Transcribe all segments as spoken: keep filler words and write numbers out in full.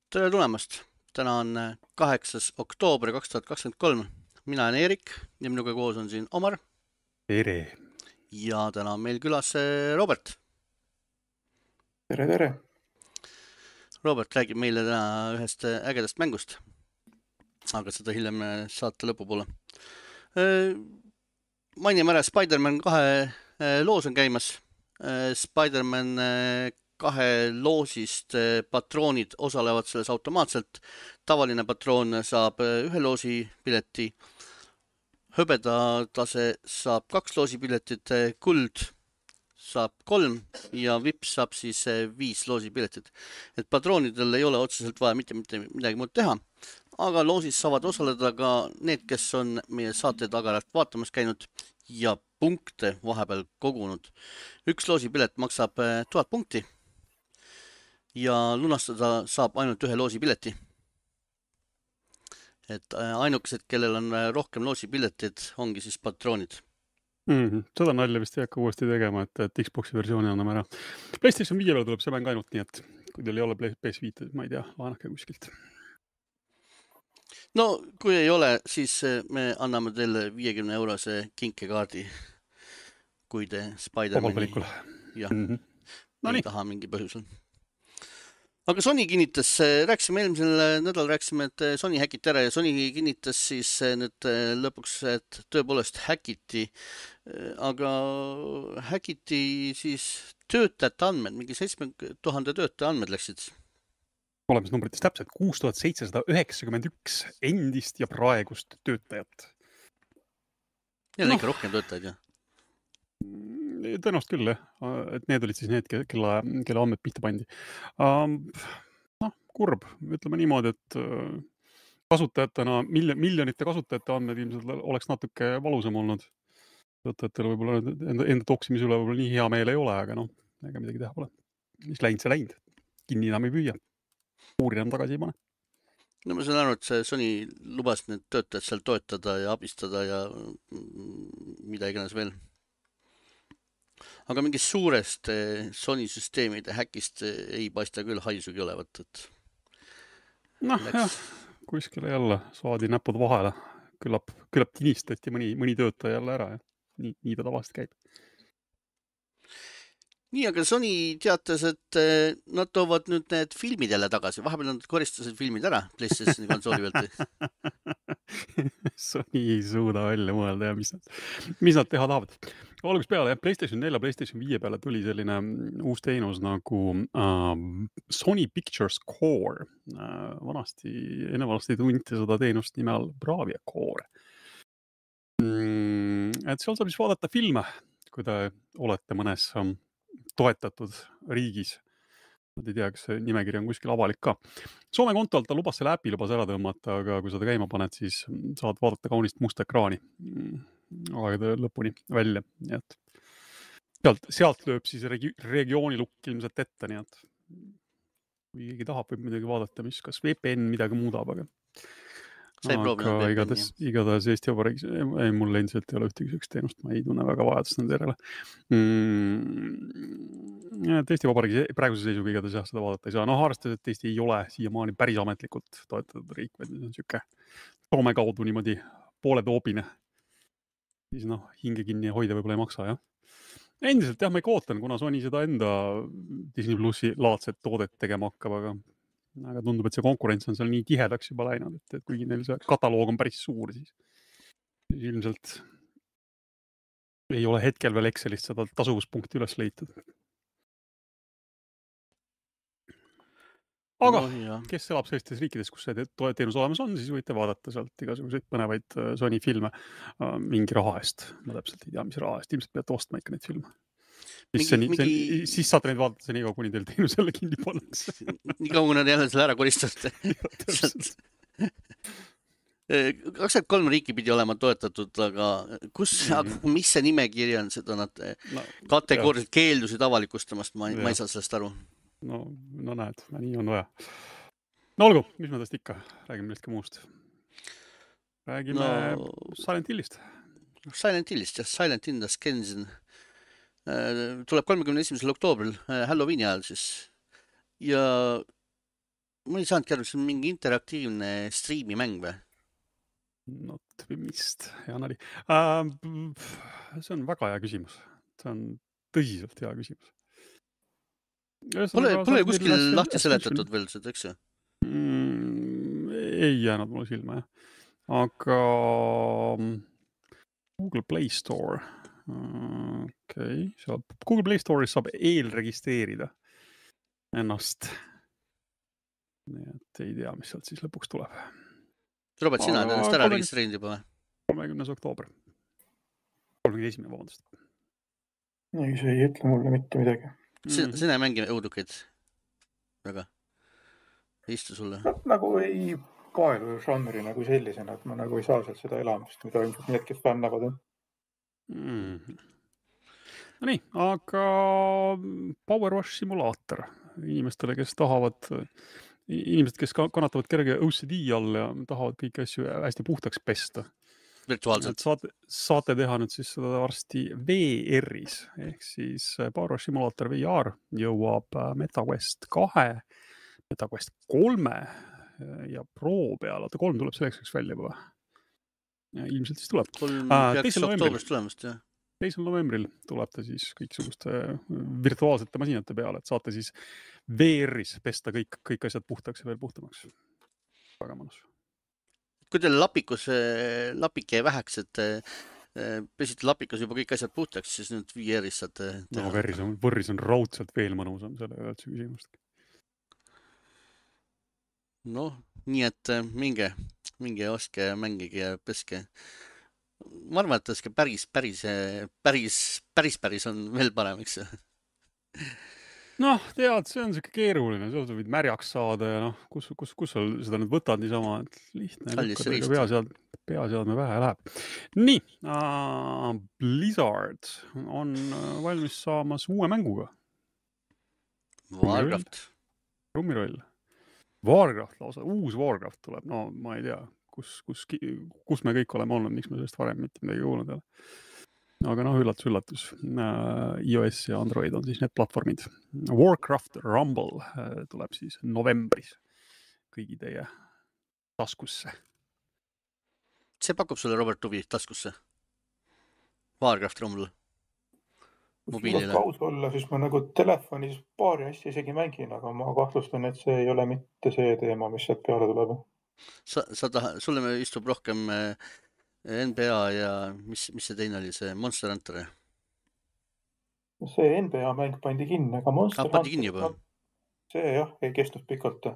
Tere tulemast! Täna on kaheksas oktoober kaks tuhat kakskümmend kolm. Mina olen Eerik ja minuga koos on siin Omar. Tere! Ja täna on meil külas Robert. Tere, tere! Robert räägib meile täna ühest ägedast mängust. Aga seda hiljem saate lõpupoole. Mainime ära, Spider-Man kahe loos on käimas. Spider-Man kahe loosist patroonid osalevad selles automaatselt. Tavaline patroon saab ühe loosi pileti. Hõbedatase saab kaks loosi piletit. Kuld saab kolm ja vips saab siis viis loosi piletit. Et patroonidel ei ole otseselt vaja mitte, mitte midagi muud teha. Aga loosis saavad osaleda ka need, kes on meie saate tagarast vaatamas käinud ja punkte vahepeal kogunud. Üks loosi pilet maksab tuhat punkti. Ja lunastada saab ainult ühe loosi pileti. Et ainukesed, kellel on rohkem loosi piletid, ongi siis patroonid. Mm-hmm. Seda nalja vist ei hakka uuesti tegema, et, et Xboxi versiooni anname ära. PlayStation viie peal tuleb see mäng ainult nii, et kui teil ei ole P S viis, ma ei tea, laenake kuskilt. No, kui ei ole, siis me anname teile viiekümne eurose kinkekaardi, kui te Spider-Mani ja, mm-hmm. no ei nii. Taha mingi põhjusel. Aga Sony kinnitas, rääkisime eelmisel nädal, rääkisime, et Sony häkiti ära ja Sony kinnitas siis nüüd lõpuks, et tõepoolest häkiti, aga häkiti siis töötajate andmed, mingi seitsme tuhande töötaja andmed läksid. Olemas numbrites täpselt kuus tuhat seitsesada üheksakümmend üks endist ja praegust töötajat. Need on ikka rohkem töötajaid, jah? Tõenäoliselt küll, et need olid siis need, kelle, kelle andmed pihta pandi. No, kurb, ütleme niimoodi, et kasutajatena, miljonite kasutajate andmed ilmselt oleks natuke valusam olnud. Töötajatel võib-olla enda, enda toksimise üle võib-olla nii hea meel ei ole, aga noh, ega midagi teha pole. Mis läinud, see läinud. Kinni enam ei püüa. Uuri enam tagasi ei pane. No ma saan aru, et see Sony lubas need töötajad seal toetada ja abistada ja mida iganes veel. Aga mingist suurest Sony süsteemide häkist ei paista küll haisugi olevat. Et noh, jah, kuskile jälle saadi näpud vahele. Küllap, küllap tinistati mõni, mõni töötaja jälle ära. Ja nii, nii ta tavaliselt käib. Nii, aga Sony teatas, et nad toovad nüüd need filmid jälle tagasi. Vahepeal nad koristasid filmid ära PlayStationi konsooli pealt. Sony ei suuda välja mõelda ja mis nad, mis nad teha tahavad. Alguses peale, jah, PlayStation neli ja PlayStation viie peale tuli selline uus teenus nagu uh, Sony Pictures Core. Uh, vanasti, enne vanasti tunti seda teenust nime all Bravia Core. Mm, et seal saab siis vaadata filme, kui te olete mõnes um, toetatud riigis. Nad ei tea, kas see nimekiri on kuskil avalik ka. Soome kontolt ta lubas selle äpi lubas ära tõmmata, aga kui seda käima paned, siis saad vaadata kaunist musta ekraani. Aga lõpuni välja. Nii et sealt, sealt lööb siis regi- regiooni lukk ilmselt ette, nii et kui keegi tahab, võib midagi vaadata, mis kas V P N midagi muudab, aga aga igatahes, igatahes Eesti Vabariigis ei, mul endiselt ei ole ühtegi sellist teenust, ma ei tunne väga vajadust nende järele. Mm, Eesti Vabariigis praeguse seisuga igatahes jah, seda vaadata ei saa. Noh, arvestades, et Eesti ei ole siiamaani päris ametlikult toetatud riik, vaid on siuke Soome kaudu niimoodi poole toobine. Siis noh, hinge kinni hoida võib-olla ei maksa, jah. Endiselt jah, ma ei ootan, kuna Sony seda enda Disney Plussi laadset toodet tegema hakkab, aga, aga tundub, et see konkurents on seal nii tihedaks juba läinud, et, et kuigi neil see kataloog on päris suur, siis ilmselt ei ole hetkel veel Excelist seda tasuvuspunkti üles leitud. Aga no, kes elab sellistes riikides, kus see teenus olemas on, siis võite vaadata sealt igasuguseid põnevaid Sony filme mingi raha eest. Ma täpselt ei tea, mis raha eest. Ilmselt peate ostma ikka neid filme. Siis, mingi, see, mingi... siis saate neid vaadata nii kaua, kuni teil teenus jälle kinni pannakse. Nii kaua, kui nad jälle selle ära koristatud. kakskümmend kolm riiki pidi olema toetatud, aga kus, mm-hmm. mis see nimekiri on, seda nad no, kategooriliselt keeldusid avalikustamast, ma, ma ei saa sellest aru. No, no näed, nii on vaja. No olgu, mis me täst ikka? Räägime millestki muust. Räägime no, Silent Hillist. Silent Hillist, jah. Silent Hill Ascension tuleb kolmekümne esimesel oktoobril Halloweeni ajal siis. Ja ma ei saanudki aru, see on mingi interaktiivne striimimäng või? Not vist, hea nali. Uh, see on väga hea küsimus. See on tõsiselt hea küsimus. Pole, pole kuskil lahti seletatud veel seda, eks ju? Mm, ei jäänud mulle silma, jah. Aga Google Play Store. Okei, okay. Google Play Store'is saab eelregistreerida ennast. Nii et ei tea, mis sealt siis lõpuks tuleb. Robert, sina oled ennast ära registreerinud juba või? kolmekümnes oktoober. kolmekümne esimene, vabandust. ei, see ei ütle mulle mitte midagi. Sina, sina ei mängi õudukeid? Väga? Ei istu sulle? Nagu ei paelu žanri nagu sellisena, et ma nagu ei saa sealt seda elamust, mida ilmselt need, kes fännavad. Mm. No nii, aga Power Wash simulaator inimestele, kes tahavad, inimesed, kes kannatavad kerge O C D all ja tahavad kõiki asju hästi puhtaks pesta. Virtuaalselt. Saate, saate teha nüüd siis seda varsti V R-is, ehk siis Power Wash simulaator V R jõuab MetaQuest kahe, MetaQuest kolme ja Pro peale. Oota, kolm tuleb selleks välja juba. Ja ilmselt siis tuleb. kolm peaks oktoobrist tulemast, jah. teisel novembril tuleb ta siis kõiksuguste virtuaalsete masinate peale, et saate siis V R-is pesta kõik, kõik asjad puhtaks ja veel puhtamaks. Väga mõnus. Kui teil lapikus, lapike väheks, et pesite lapikus juba kõik asjad puhtaks, siis nüüd V R-is saate teha. No võrris on, võrris on raudselt veel mõnusam selle üldse küsimust. No, nii et minge, minge oske, mängige ja peske. Ma arvan, et oske päris, päris, päris, päris, päris on veel parem, eks? Noh, tead, see on siuke keeruline, sa võid märjaks saada ja noh, kus, kus, kus sul seda nüüd võtad niisama, et lihtne. Peasead, peaseadme vähe läheb. Nii, uh, Blizzard on valmis saamas uue mänguga. Warcraft. Rummiroll. Warcraft lausa, uus Warcraft tuleb, no ma ei tea, kus, kus, kus me kõik oleme olnud, miks me sellest varem mitte midagi kuulnud ei ole. Aga noh, üllatus, üllatus. iOS ja Android on siis need platvormid. Warcraft Rumble tuleb siis novembris kõigi teie taskusse. See pakub sulle, Robert, huvi taskusse? Warcraft Rumble? Mobiilile. Kui aus olla, siis ma nagu telefonis paari asja isegi mängin, aga ma kahtlustan, et see ei ole mitte see teema, mis sealt peale tuleb. Sa, sa taha, sulle me istub rohkem N B A ja mis, mis see teine oli, see Monster Hunter? See N B A mäng pandi kinni, aga Monster ah, pandi kinni juba? See jah, ei kestnud pikalt.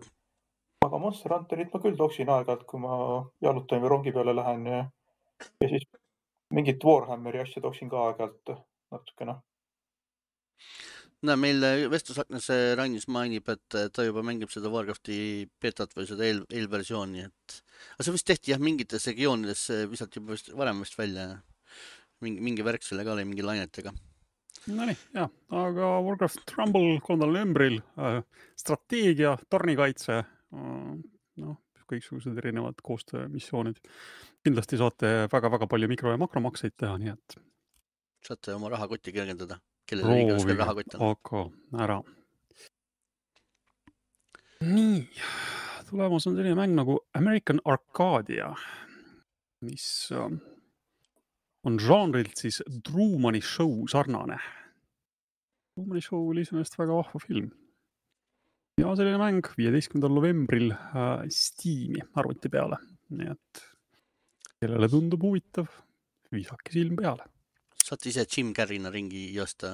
Aga Monster Hunterit ma küll toksin aeg-ajalt, kui ma jalutan või rongi peale lähen ja, ja siis mingit Warhammeri asja toksin ka aeg-ajalt natukene. No, meil vestlusaknas Rainis mainib, et ta juba mängib seda Warcrafti betat või seda eel, eelversiooni. Et... aga see vist tehti jah, mingites regioonides visati juba vist, varem vist välja. Mingi, mingi värk selle ka oli mingi lainetega. No nii, jah. Aga Warcraft Rumble kolmandal novembril, äh, strateegia, tornikaitse, äh, no, kõiksugused erinevad koostöömissioonid. Kindlasti saate väga-väga palju mikro- ja makromakseid teha, nii et... Saate oma rahakotti kergendada. Proovige, aga ära. Nii, tulemas on selline mäng nagu American Arcadia, mis on žanrilt siis Trumani show sarnane. Trumani show oli sellest väga vahva film. Ja selline mäng viieteistkümnendal novembril äh, Steam'i arvuti peale. Nii et kellele tundub huvitav, viisake silm peale. Saate ise Jim Carrey'na ringi joosta.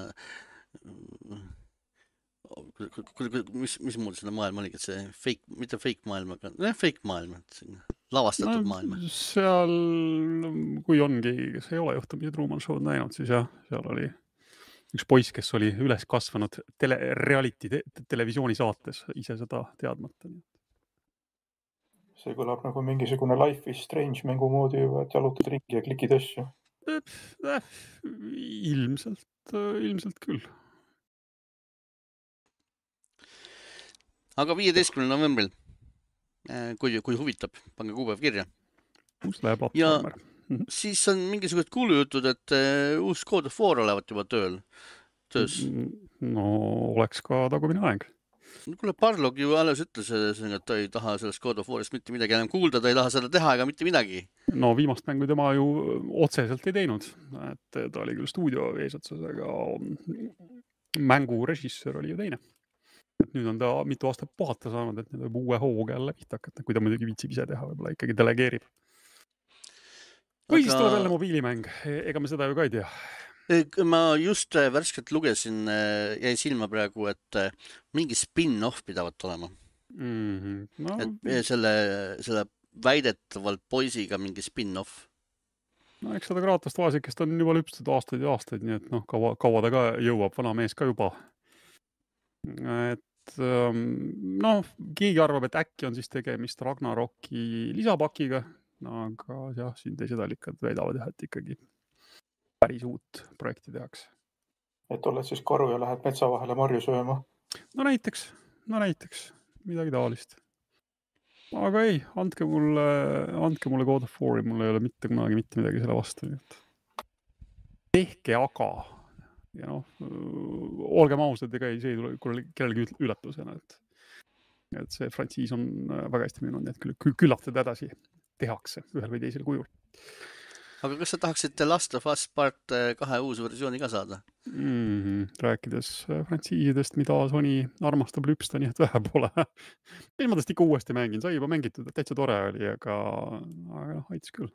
Mis, mis muud seda maailma oli, et see fake, mitte fake maailm, aga ne, fake maailm, lavastatud no, maailm. Seal, kui ongi, kes ei ole juhtumisi Truman Show'd näinud, siis jah, seal oli üks poiss, kes oli üles kasvanud tele, reality te, televisiooni saates, ise seda teadmata. See kõlab nagu mingisugune Life is Strange mängu moodi juba, et jalutad ringi ja klikid asju. Ilmselt, ilmselt küll. Aga viieteistkümnendal novembril, kui, kui huvitab, pange kuupäev kirja. Kus läheb platvormer? Ja siis on mingisugused kuulujutud, et uus God of War olevat juba tööl. Töös. No oleks ka tagumine aeg. Kuule, Barlog ju alles ütles, et ta ei taha sellest God of War'ist mitte midagi enam kuulda, ta ei taha seda teha ega mitte midagi. No viimast mängu tema ju otseselt ei teinud, et ta oli küll stuudio eesotsas, aga mängu režissöör oli ju teine. Et nüüd on ta mitu aastat puhata saanud, et nüüd võib uue hooga jälle pihta hakata, kui ta muidugi viitsib ise teha, võib-olla ikkagi delegeerib. Või aga... siis tuleb jälle mobiilimäng, ega me seda ju ka ei tea. Ma just värskelt lugesin, jäi silma praegu, et mingi spin-off pidavat olema. Mm-hmm. No... Et selle, selle väidetavalt poisiga mingi spin-off. No eks seda Kraatost vaesikest on juba lüpstud aastaid ja aastaid, nii et noh, kaua, kaua ta ka jõuab, vana mees ka juba. Et noh, keegi arvab, et äkki on siis tegemist Ragnaroki lisapakiga, no, aga jah, siin teised allikad väidavad jah, et ikkagi päris uut projekti tehakse. Et oled siis karu ja lähed metsa vahele marju sööma? No näiteks, no näiteks, midagi taolist. Aga ei, andke mulle, andke mulle God of War'i, mul ei ole mitte kunagi mitte midagi selle vastu. Tehke aga, ja noh, olgem ausad, ega ei, see ei tule kellelgi üllatusena, et, et see frantsiis on väga hästi müünud, nii et küll, küllap seda edasi tehakse ühel või teisel kujul. Aga kas sa tahaksid The Last of Us Part kahe uus versiooni ka saada? Mm-hmm. Rääkides frantsiisidest, mida Sony armastab lüpsta, nii et vähe pole. Mis ma tast ikka uuesti mängin, sai juba mängitud, täitsa tore oli, aga, aga aitas küll.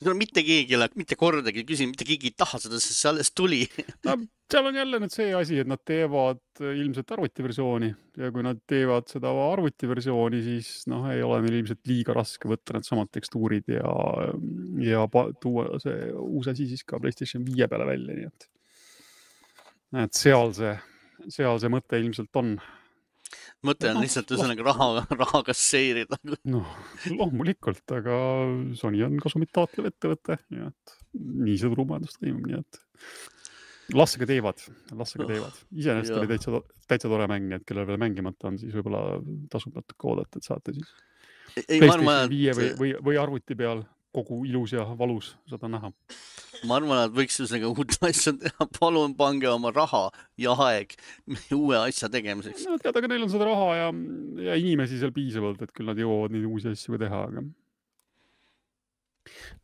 Mitte keegi, mitte kordagi küsin, mitte keegi ei taha seda, sest see alles tuli. No, seal on jälle nüüd see asi, et nad teevad ilmselt arvutiversiooni ja kui nad teevad seda arvutiversiooni, siis noh, ei ole neil ilmselt liiga raske võtta need samad tekstuurid ja, ja tuua see uus asi siis ka PlayStation viie peale välja, nii et, et seal see, seal see mõte ilmselt on. Mõte on lihtsalt ühesõnaga raha, raha kasseerida. No, loomulikult, aga Sony on kasumit taotlev ettevõte, nii et nii see turumajandus toimub, nii et lassega teevad, lassega teevad. Iseenesest oli täitsa, täitsa tore mäng, nii et kellel veel mängimata on, siis võib-olla tasub natuke oodata, et saate siis ei, PlayStation viie või, või, või arvuti peal kogu ilus ja valus seda näha. Ma arvan, et võiks ühesõnaga uut asja teha. Palun pange oma raha ja aeg uue asja tegemiseks. No tead, aga neil on seda raha ja, ja inimesi seal piisavalt, et küll nad jõuavad neid uusi asju teha, aga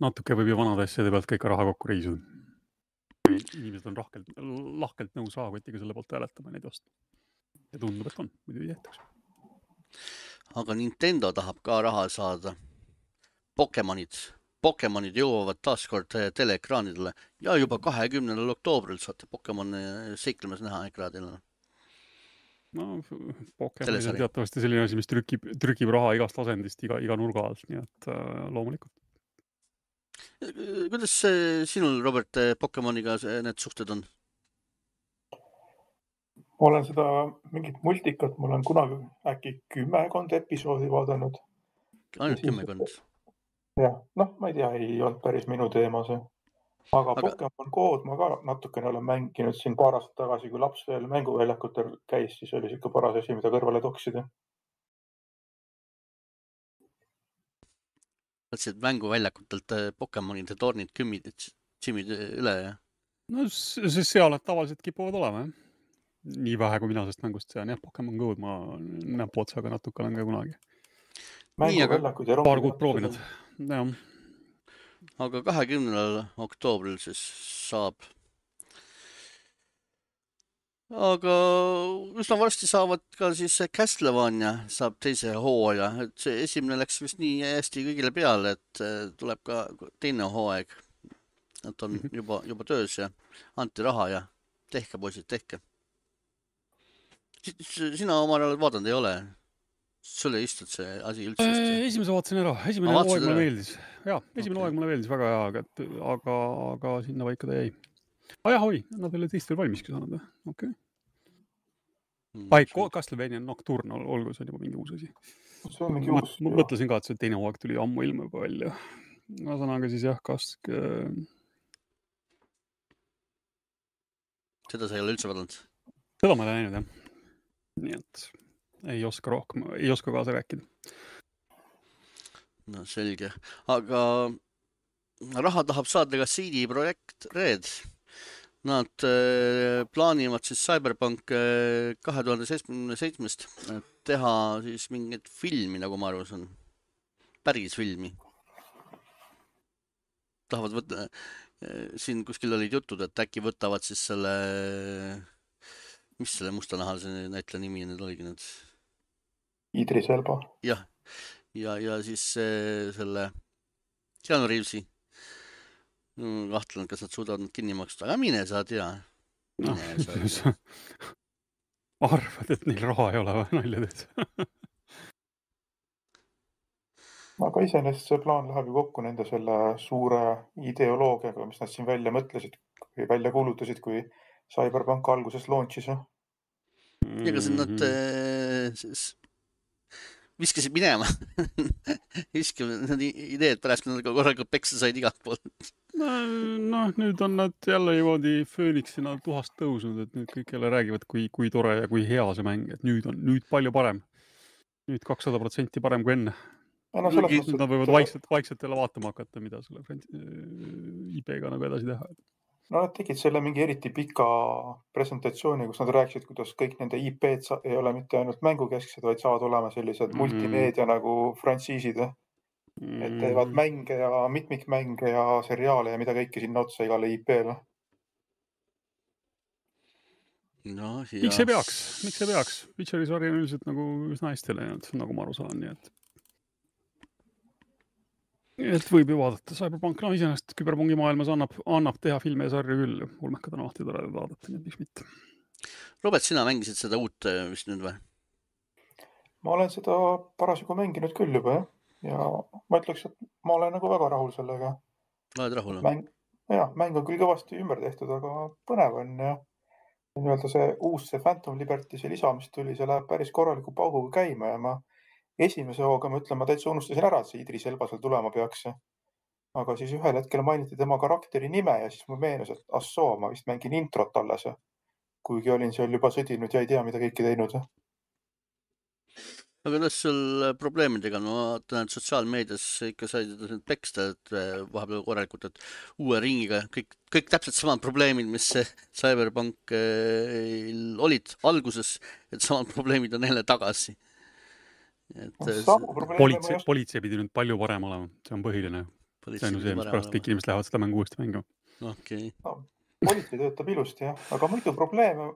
natuke võib ju vanade asjade pealt kõik raha kokku reisuda. Inimesed on rahkelt, lahkelt nõus rahakotiga selle poolt hääletama neid osta. Ja tundub, et on, muidu ei jätaks. Aga Nintendo tahab ka raha saada. Pokemonid. Pokemonid jõuavad taaskord teleekraanidele ja juba kahekümnendal oktoobril saate Pokemon seiklemas näha ekraadil. No, Pokemon on teatavasti selline asi, mis trükib, trükib raha igast asendist, iga, iga nurga alt, nii et äh, loomulikult. Kuidas sinul, Robert, Pokemoniga need suhted on? Ma olen seda mingit multikat, ma olen kunagi äkki kümmekond episoodi vaadanud. Ainult kümmekond? Jah, noh, ma ei tea, ei olnud päris minu teema see. Aga, aga... Pokemon Go'd ma ka natukene olen mänginud siin paar aastat tagasi, kui laps veel mänguväljakutel käis, siis oli siuke paras asi, mida kõrvale toksida. Mõtlesid mänguväljakutelt Pokemonide tornid kümmid, tšimid üle, jah? No siis seal nad tavaliselt kipuvad olema, jah. Nii vähe, kui mina sest mängust sean, jah, Pokemon Go'd ma näpu otsaga natuke olen ka kunagi. Mänguväljakud ja paar kuud proovinud. Ja. Aga kahekümnendal oktoobril siis saab. Aga üsna varsti saavad ka siis Castlevania saab teise hooaja. Et see esimene läks vist nii hästi kõigile peale, et tuleb ka teine hooaeg. Nad on juba, juba töös ja anti raha ja tehke, poisid, tehke. Sina oma ajal vaadanud ei ole? Sulle istud see asi üldse? Esimese vaatasin ära. Esimene hooaeg mulle meeldis. Jaa, esimene hooaeg mulle meeldis väga hea, aga, aga, aga sinna vaika ta jäi. Ah jah, oi, nad oli teist veel valmiski saanud. Okei. Okay. Ai, Castlevania Nocturne, olgu, see on juba mingi uus asi. See on mingi uus. Ma mõtlesin ka, et see teine hooaeg tuli ammu ilma juba välja. Ma saan aga siis jah, Kask... Seda sa ei ole üldse vaadanud? Seda ma olen näinud, jah. Nii et... ei oska rohkem, ei oska kaasa rääkida. No selge, aga raha tahab saada ka C D Projekt Red. Nad äh, plaanivad siis Cyberpunk äh, kahe tuhande seitsmekümne seitsmest teha siis mingit filmi, nagu ma aru saan. Päris filmi. Tahavad võtta, äh, siin kuskil olid jutud, et äkki võtavad siis selle, mis selle mustanahalise näitleja nimi nüüd oligi nüüd? Idris Elba. Jah, ja, ja siis äh, selle Keanu Reavesi. Kahtlen, kas nad suudavad nad kinni maksta, aga mine sa tea. No, arvad, et neil raha ei ole või nalja teed? Aga iseenesest see plaan läheb ju kokku nende selle suure ideoloogiaga, mis nad siin välja mõtlesid või välja kuulutasid, kui Cyberpunk alguses launchis. Ja kas nad äh, viskasid minema? Viskasid need ideed pärast, kui nad korralikult peksa said igalt poolt. No, nüüd on nad jälle niimoodi Phoenixina tuhast tõusnud, et nüüd kõik jälle räägivad, kui, kui tore ja kui hea see mäng, et nüüd on nüüd palju parem. Nüüd kakssada protsenti parem kui enne. No, nüüd nad võivad vaikselt, vaikselt jälle vaatama hakata, mida selle I P-ga nagu edasi teha. No nad tegid selle mingi eriti pika presentatsiooni, kus nad rääkisid, kuidas kõik nende I P-d ei ole mitte ainult mängukesksed, vaid saavad olema sellised mm. multimeedia nagu frantsiisid. Mm. Et teevad mänge ja mitmikmänge ja seriaale ja mida kõike sinna otsa igale I P-le. No, miks see peaks? Miks see peaks? Witcheri sari on üldiselt nagu üsna hästi läinud, nagu ma aru saan, nii et et võib ju vaadata. Cyberpunk, no iseenesest küberpungi maailmas annab, annab teha filme ja sarju küll. Ulmekad on alati tore vaadata, nii et miks mitte. Robert, sina mängisid seda uut vist nüüd või? Ma olen seda parasjagu mänginud küll juba, jah. Ja ma ütleks, et ma olen nagu väga rahul sellega. Oled rahul? Mäng, jah, mäng on küll kõvasti ümber tehtud, aga põnev on ja nii-öelda see uus see Phantom Liberty, see lisa, mis tuli, see läheb päris korraliku pauguga käima ja ma esimese hooga, ma ütlen, ma täitsa unustasin ära, et see Idris Elba seal tulema peaks. Aga siis ühel hetkel mainiti tema karakteri nime ja siis mul meenus, et assoo, ma vist mängin introt alles. Kuigi olin seal juba sõdinud ja ei tea, mida kõiki teinud. Aga kuidas sul probleemidega, no vaatan, et sotsiaalmeedias ikka said peksta, et vahepeal korralikult, et uue ringiga kõik, kõik täpselt samad probleemid, mis Cyberpunk olid alguses, et samad probleemid on jälle tagasi. Et, politsei, politsei pidi nüüd palju parem olema, see on põhiline. See on see, mis pärast kõik inimesed lähevad seda mängu uuesti mängu. Okay. No, politsei töötab ilusti, jah. Aga muidu probleeme,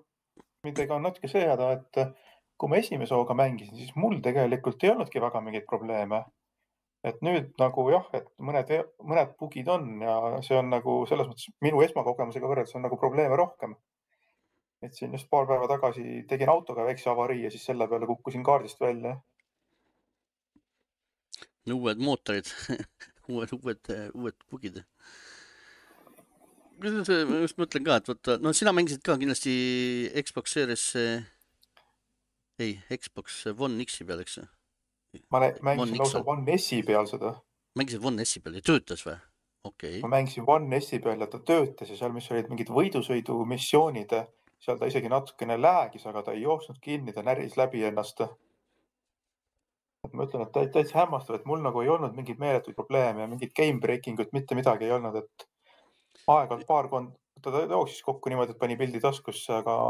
midagi on natuke seada, et kui ma esimese hooga mängisin, siis mul tegelikult ei olnudki väga mingeid probleeme. Et nüüd nagu jah, et mõned, mõned bugid on ja see on nagu selles mõttes minu esmakogemusega võrreldes on nagu probleeme rohkem. Et siin just paar päeva tagasi tegin autoga väikse avarii ja siis selle peale kukkusin kaardist välja. Uued mootorid, uued, uued, uued bugid. Ma just mõtlen ka, et võtta, no sina mängisid ka kindlasti Xbox Series, ei, Xbox One X-i peal, eks? Ma mängisin lausa One S-i peal seda. Mängisid One S-i peal ja töötas või? Okay. Ma mängisin One S-i peal ja ta töötas ja seal, mis olid mingid võidusõidu missioonid, seal ta isegi natukene läägis, aga ta ei jooksnud kinni, ta näris läbi ennast. Ma ütlen, et täitsa hämmastav, et mul nagu ei olnud mingid meeletuid probleeme ja mingid game breaking ut, mitte midagi ei olnud, et aeg-ajalt paar kond, ta jooksis kokku niimoodi, et pani pildi taskusse, aga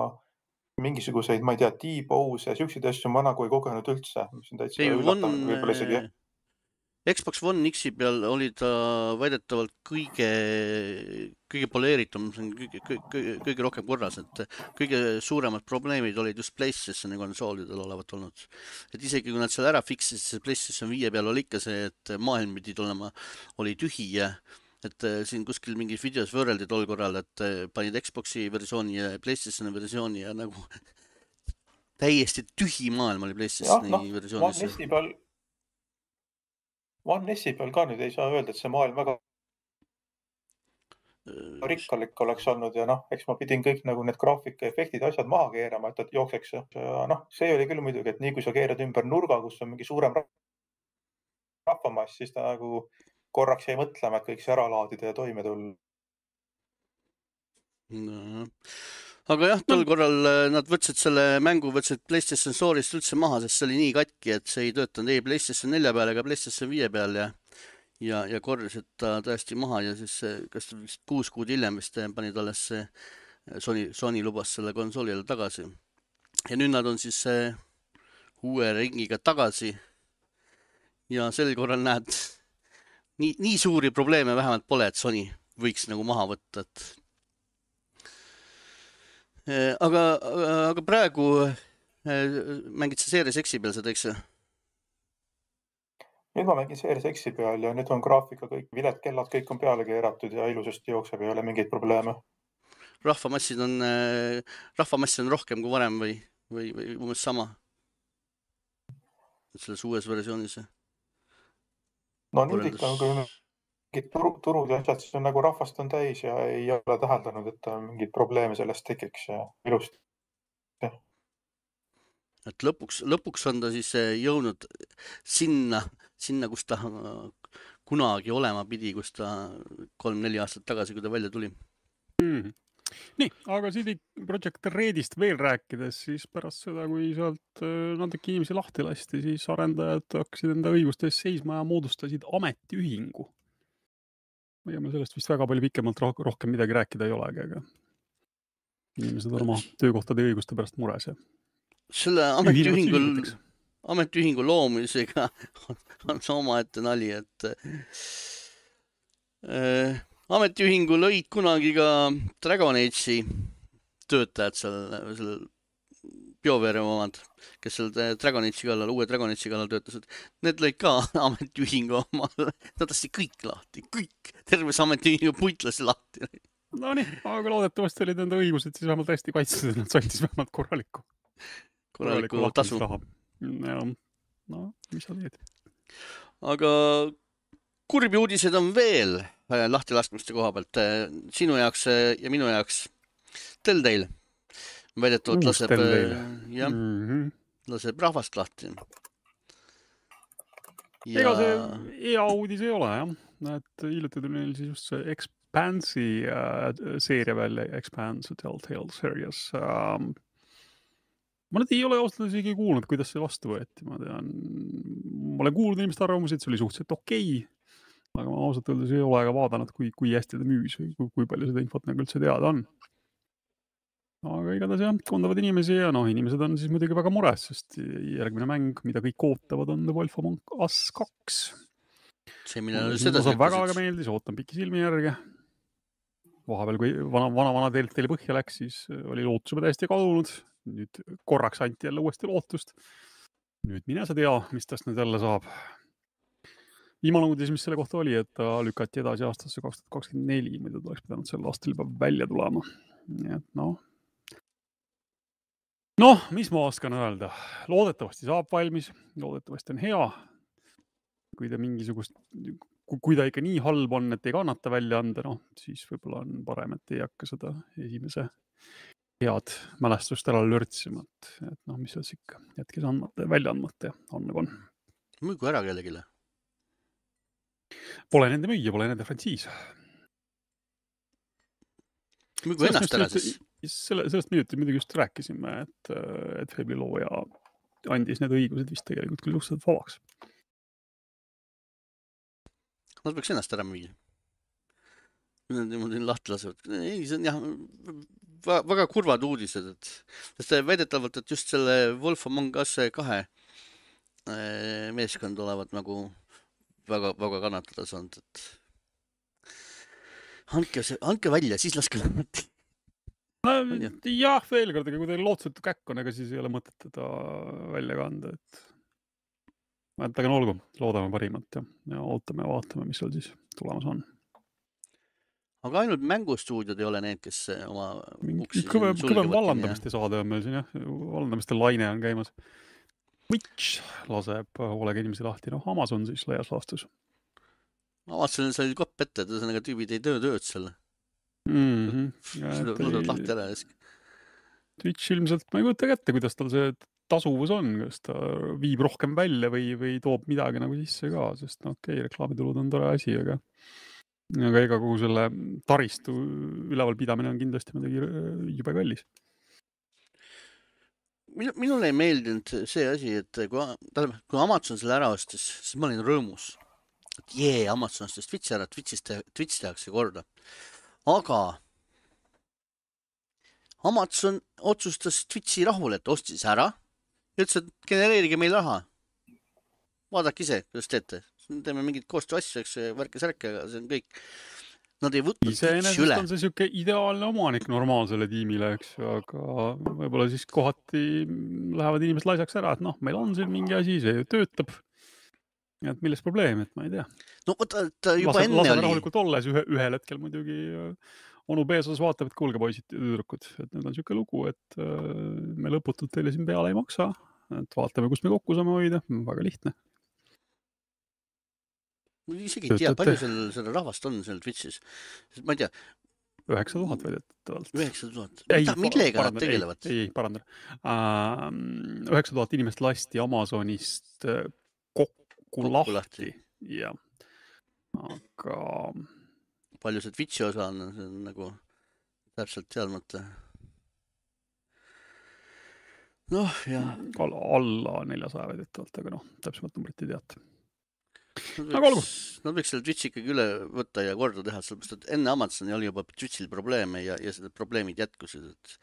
mingisuguseid, ma ei tea, T-pose ja siukseid asju ma nagu ei kogenud üldse. Mis on täitsa üllatav, võib-olla isegi. Xbox One X-i peal oli ta väidetavalt kõige, kõige poleeritum, kõige, kõige, kõige rohkem korras, et kõige suuremad probleemid olid just PlayStationi konsoolidel olevat olnud. Et isegi kui nad seal ära fiksisid, see PlayStation viie peal oli ikka see, et maailm pidi tulema, oli tühi ja et siin kuskil mingis videos võrreldi tol korral, et panid Xboxi versiooni ja PlayStationi versiooni ja nagu täiesti tühi maailm oli PlayStationi ja, no, versioonis. One S-i peal One S-i peal ka nüüd ei saa öelda, et see maailm väga rikkalik oleks olnud ja noh, eks ma pidin kõik nagu need graafika efektid ja asjad maha keerama, et, et jookseks. Noh, see oli küll muidugi, et nii kui sa keerad ümber nurga, kus on mingi suurem rahvamass, siis ta nagu korraks jäi mõtlema, et kõik see ära laadida ja toime tulla. No. Aga jah, tol korral nad võtsid selle mängu, võtsid PlayStation Store'ist üldse maha, sest see oli nii katki, et see ei töötanud ei PlayStation nelja peal ega PlayStation viie peal ja, ja, ja korjasid ta tõesti maha ja siis kas vist kuus kuud hiljem vist panid alles Sony, Sony lubas selle konsoolile tagasi. Ja nüüd nad on siis uue ringiga tagasi. Ja sel korral näed, nii, nii suuri probleeme vähemalt pole, et Sony võiks nagu maha võtta. Et... Aga, aga praegu mängid sa Series X-i peal seda, eks? Nüüd ma mängin Series X-i peal ja nüüd on graafika kõik, viled kellad kõik on peale keeratud ja ilusasti jookseb ja ei ole mingeid probleeme. Rahvamassid on, rahvamassid on rohkem kui varem või, või, või umbes sama? Selles uues versioonis? No nüüd ikka, kui mingid turu, turud ja asjad, siis on nagu rahvast on täis ja ei ole täheldanud, et mingid probleeme sellest tekiks ja ilusti. Et lõpuks, lõpuks on ta siis jõudnud sinna, sinna, kus ta kunagi olema pidi, kus ta kolm-neli aastat tagasi, kui ta välja tuli. Mm. Nii, aga C D Projekt Redist veel rääkides, siis pärast seda, kui sealt natuke inimesi lahti lasti, siis arendajad hakkasid enda õigustes seisma ja moodustasid ametiühingu. Ja me sellest vist väga palju pikemalt rohkem midagi rääkida ei olegi, aga inimesed on oma töökohtade õiguste pärast mures ja selle ametiühingul, ametiühingu loomisega on, on oma ette nali, et äh, ametiühingu lõid kunagi ka Dragon Age'i töötajad seal, seal BioWare omad, kes seal Dragon Age'i kallal, uue Dragon Age'i kallal töötasid. Need lõid ka ametiühingu omal. Nad tõesti kõik lahti, kõik. Terves ametiühingu puitlasi lahti. No nii, aga loodetavasti olid nende õigused siis vähemalt hästi kaitstud, et nad said siis vähemalt korralikku. Korralikku tasu. Ja, no, mis sa teed? Aga kurbi uudised on veel lahti laskmiste koha pealt. Sinu jaoks ja minu jaoks Telltale. Väidetavalt laseb, ja, mm-hmm. laseb rahvast lahti. Ja... Ega see hea uudis ei ole, jah. Et hiljuti tuli neil siis just see Expanse'i äh, seeria välja, Expanse Telltale Series. Ähm, ma nüüd ei ole ausalt isegi kuulnud, kuidas see vastu võeti. Ma tean, ma olen kuulnud inimeste arvamusi, et see oli suhteliselt okei, aga ma ausalt öeldes ei ole ka vaadanud, kui, kui hästi ta müüs või kui, kui palju seda infot nagu üldse teada on. Aga igatahes jah, kondavad inimesi ja noh, inimesed on siis muidugi väga mures, sest järgmine mäng, mida kõik ootavad, on The Wolf Among Us kaks. See, millele seda see väga, väga meeldis, ootan pikki silmi järgi. Vahepeal, kui vana, vana, vana Telltale põhja läks, siis oli lootus juba täiesti kadunud. Nüüd korraks anti jälle uuesti lootust. Nüüd mine sa tea, mis tast nüüd jälle saab. Viimane uudis, mis selle kohta oli, et ta lükati edasi aastasse kaks tuhat kakskümmend neli, mida ta oleks pidanud sel aastal juba välja tulema. Nii et noh. Noh, mis ma oskan öelda? Loodetavasti saab valmis, loodetavasti on hea. Kui ta mingisugust, kui ta ikka nii halb on, et ei kannata välja anda, noh, siis võib-olla on parem, et ei hakka seda esimese head mälestust ära lörtsima, et noh, mis oleks ikka jätkes andmata ja välja andmata ja on nagu on. Müügu ära kellegile? Pole nende müüja, pole nende frantsiis. Müügu ennast ära siis? Selle, sellest minutit muidugi just rääkisime, et, et Fable'i looja andis need õigused vist tegelikult küll suhteliselt vabaks. Nad peaks ennast ära müüa. Nad niimoodi lahti lasevad. Ei, see on jah, väga kurvad uudised, et sest väidetavalt, et just selle Wolf Among Us kahe meeskond olevat nagu väga, väga kannatada saanud, et andke, see, andke välja, siis laske lahti. No, jah, veel kord, aga kui teil lootsetu käkk on, ega siis ei ole mõtet teda välja kanda, et et aga no olgu, loodame parimat ja, ja ootame ja vaatame, mis seal siis tulemas on. Aga ainult mängustuudiod ei ole need, kes oma uksi kõve, kõve vallandamiste saade on meil siin, jah. Vallandamiste laine on käimas. Twitch laseb hoolega inimesi lahti, noh, Amazon siis laias laastus. Amazon sai kopp ette, et ühesõnaga tüübid ei töö tööd selle. Mm-hmm. Seda laseb lahti ära jäsk. Twitch ilmselt, ma ei kujuta kätte, kuidas tal see tasuvus on, kas ta viib rohkem välja või, või toob midagi nagu sisse ka, sest no okei, okay, reklaamitulud on tore asi, aga aga ega kogu selle taristu üleval pidamine on kindlasti midagi jube kallis. Minule ei meeldinud see asi, et kui, kui Amazon selle ära ostis, siis ma olin rõõmus. Et jee, Amazon ostis Twitch ära, Twitchis te, Twitch tehakse korda. Aga Amazon otsustas Twitchi rahul, et ostis ära ja ütles, et genereerige meil raha. Vaadake ise, kuidas teete. Teeme mingid koostöö asju, eks värke-särke, aga see on kõik. Nad ei võtnud Twitchi üle. On see siuke ideaalne omanik normaalsele tiimile, eks, aga võib-olla siis kohati lähevad inimesed laisaks ära, et noh, meil on siin mingi asi, see töötab. Et milles probleem, et ma ei tea. No võta, ta juba Lase, enne lase oli. rahulikult olles ühe, ühel hetkel muidugi onu Beesos vaatab, et kuulge poisid ja tüdrukud, et nüüd on siuke lugu, et me lõputult teile siin peale ei maksa, et vaatame, kus me kokku saame hoida, väga lihtne. Ma isegi ei tea, palju seal, seal rahvast on seal Twitchis. Ma ei tea. üheksa tuhat väidetavalt. üheksa tuhat. Mida, millega nad tegelevad? Ei, ei, parandan. üheksa tuhat inimest lasti Amazonist kokku, kokku lahti. lahti. Ja. Aga... Palju see Twitchi osa on, see on nagu täpselt teadmata. Noh, jah. Alla neljasaja väidetavalt, aga noh, täpsemalt numbrit ei teata. Nad võiks, nad võiks selle Twitchi ikkagi üle võtta ja korda teha, sellepärast, et enne Amazoni oli juba Twitchil probleeme ja, ja seda probleemid jätkusid. Et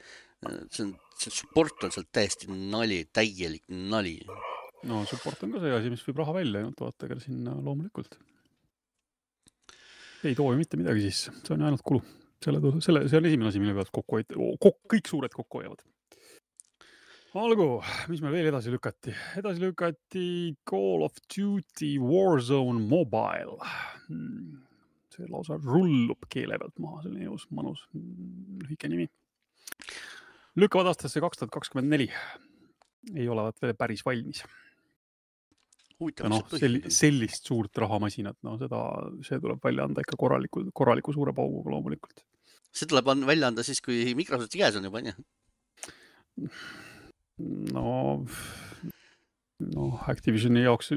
see, on, see support on seal täiesti nali, täielik nali. No support on ka see asi, mis võib raha välja ainult vaata, aga sinna loomulikult. Ei too ju mitte midagi sisse, see on ainult kulu. Selle, selle, see on esimene asi, mille pealt kokku hoid, kok, kõik suured kokku hoiavad. Algu, mis meil veel edasi lükati? Edasi lükati Call of Duty Warzone Mobile. See lausa rullub keele pealt maha, see on eos manus, lühike nimi. Lükkavad aastasse kaks tuhat kakskümmend neli. Ei olevat veel päris valmis. No, sell, sellist suurt rahamasinat, no seda, see tuleb välja anda ikka korraliku, korraliku suure pauguga loomulikult. See tuleb välja anda siis, kui Microsofti käes on juba, nii? No, no Activisioni jaoks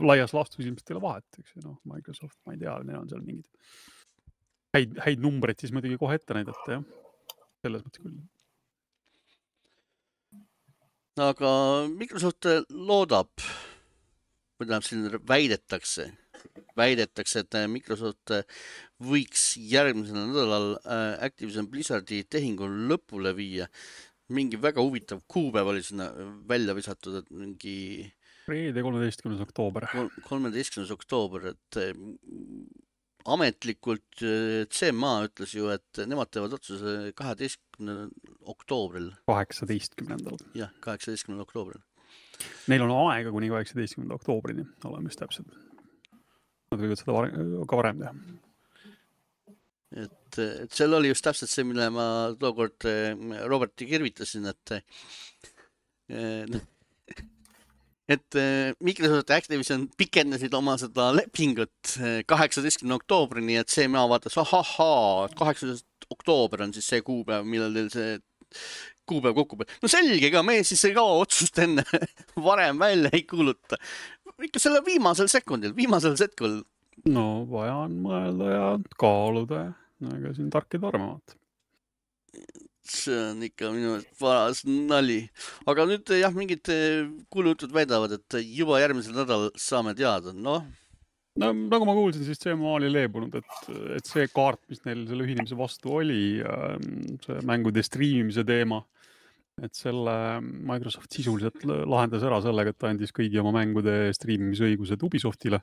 laias laastus ilmselt ei ole vahet, eks, no, Microsoft, ma ei tea, neil on seal mingid häid, häid numbreid siis muidugi kohe ette näidata, jah, selles mõttes küll. Aga Microsoft loodab, või tähendab, siin väidetakse, väidetakse, et Microsoft võiks järgmisel nädalal Activision Blizzardi tehingu lõpule viia. Mingi väga huvitav kuupäev oli sinna välja visatud, et mingi... Reede kolmeteistkümnes oktoober. kolmeteistkümnes oktoober, et ametlikult C M A ütles ju, et nemad teevad otsuse kaheteistkümnendal oktoobril. kaheksateistkümnendal. Jah, kaheksateistkümnendal oktoobril. Neil on aega kuni kaheksateistkümnenda oktoobrini, oleme just täpselt. Nad võivad seda varem, ka varem teha. Et, et seal oli just täpselt see, mille ma tookord Roberti kirvitasin, et et Microsoft Activision pikendasid oma seda lepingut kaheksateistkümnenda oktoobrini, et C M A vaatas, ahahaa, kaheksateistkümnes oktoober on siis see kuupäev, millal teil see kuupäev kokku peab. No selge ka, me siis ei kao otsust enne varem välja ei kuuluta. Ikka selle viimasel sekundil, viimasel setkul. No vaja on mõelda ja kaaluda ja ega siin tarkid armavad. See on ikka minu paras nali. Aga nüüd jah, mingid kuulutud väidavad, et juba järgmisel nädal saame teada. No, no nagu ma kuulsin, siis C M A oli leebunud, et, et see kaart, mis neil selle ühinemise vastu oli, see mängude streamimise teema, et selle Microsoft sisuliselt lahendas ära sellega, et ta andis kõigi oma mängude streamimise õigused Ubisoftile.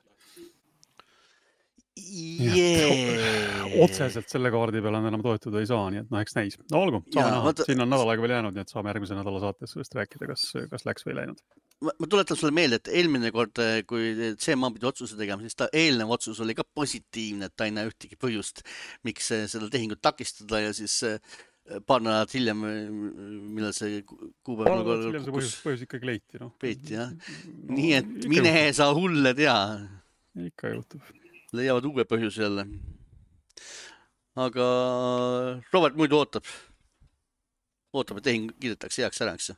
Yeah. Otseselt selle kaardi peale enam toetuda ei saa, nii et noh, eks näis. No olgu, saame näha. Võtta... Siin on nädal aega veel jäänud, nii et saame järgmise nädala saates sellest rääkida, kas, kas läks või läinud. Ma, ma tuletan sulle meelde, et eelmine kord, kui C M A pidi otsuse tegema, siis ta eelnev otsus oli ka positiivne, et ta ei näe ühtegi põhjust, miks seda tehingut takistada ja siis paar nädalat hiljem, millal see kuupäev nagu hiljem see põhjus, põhjus ikkagi leiti, noh. Peeti, jah. No, nii et mine juhtub. Sa hulle tea. Ikka juhtub. Leiavad uue põhjuse jälle. Aga Robert muidu ootab. Ootab, et tehing kiidetakse heaks ära, eks?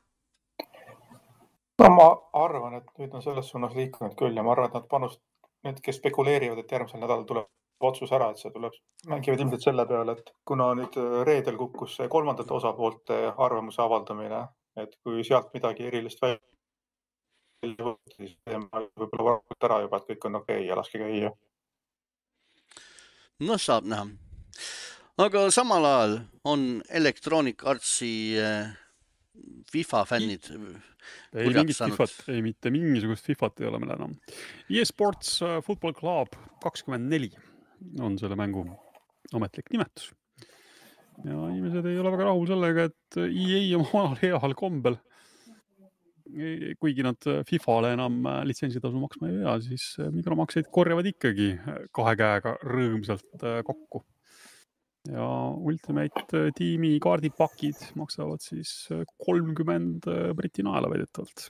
No ma arvan, et nüüd on selles suunas liikunud küll ja ma arvan, et nad panust, need, kes spekuleerivad, et järgmisel nädalal tuleb otsus ära, et see tuleb, mängivad ilmselt selle peale, et kuna nüüd reedel kukkus kolmandate osapoolte arvamuse avaldamine, et kui sealt midagi erilist välja siis võib-olla varmalt ära juba, et kõik on okei ja laske käia. No saab näha. aga samal ajal on Electronic Artsi FIFA fännid ei mingit FIFAt, ei mitte mingisugust FIFAt ei ole meil enam. eSports Football Club kakskümmend neli on selle mängu ametlik nimetus. Ja inimesed ei ole väga rahul sellega, et E A on heal kombel. Kuigi nad FIFAle enam litsentsitasu maksma ei pea, siis mikromakseid korjavad ikkagi kahe käega rõõmsalt kokku. Ja Ultimate tiimi kaardipakid maksavad siis kolmkümmend briti naela väidetavalt.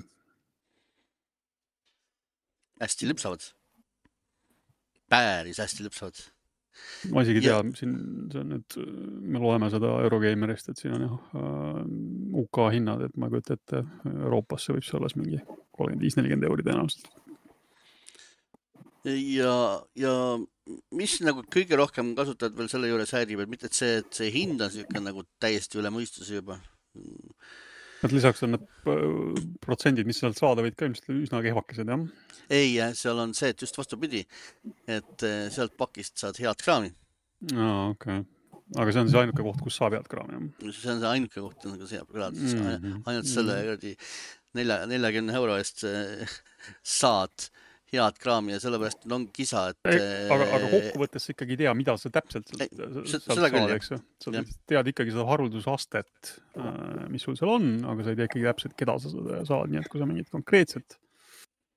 Hästi lüpsavad. Päris hästi lüpsavad. Ma isegi tea, siin see on nüüd, me loeme seda Eurogamerist, et siin on jah U K hinnad, et ma kujutan ette Euroopasse võib see olles mingi kolmkümmend viis nelikümmend euri tõenäoliselt. Ja, ja mis nagu kõige rohkem kasutajad veel selle juures häirib, et mitte et see, et see hind on siuke nagu täiesti üle mõistuse juba. Et lisaks on need protsendid, mis sealt saada võid ka ilmselt üsna kehvakesed, jah? Ei, seal on see, et just vastupidi, et sealt pakist saad head kraami. Aa, okei. Okay. Aga see on see ainuke koht, kus saab head kraami, jah? See on see ainuke koht, kus saab kraami. Mm-hmm. Ainult selle neljakümne euro eest saad head kraami ja sellepärast on kisa, et... Aga, aga kokkuvõttes sa ikkagi ei tea, mida sa täpselt sealt saad, eks ju. Sa tead ikkagi seda haruldusastet, mis sul seal on, aga sa ei tea ikkagi täpselt, keda sa saad. Nii et kui sa mingit konkreetset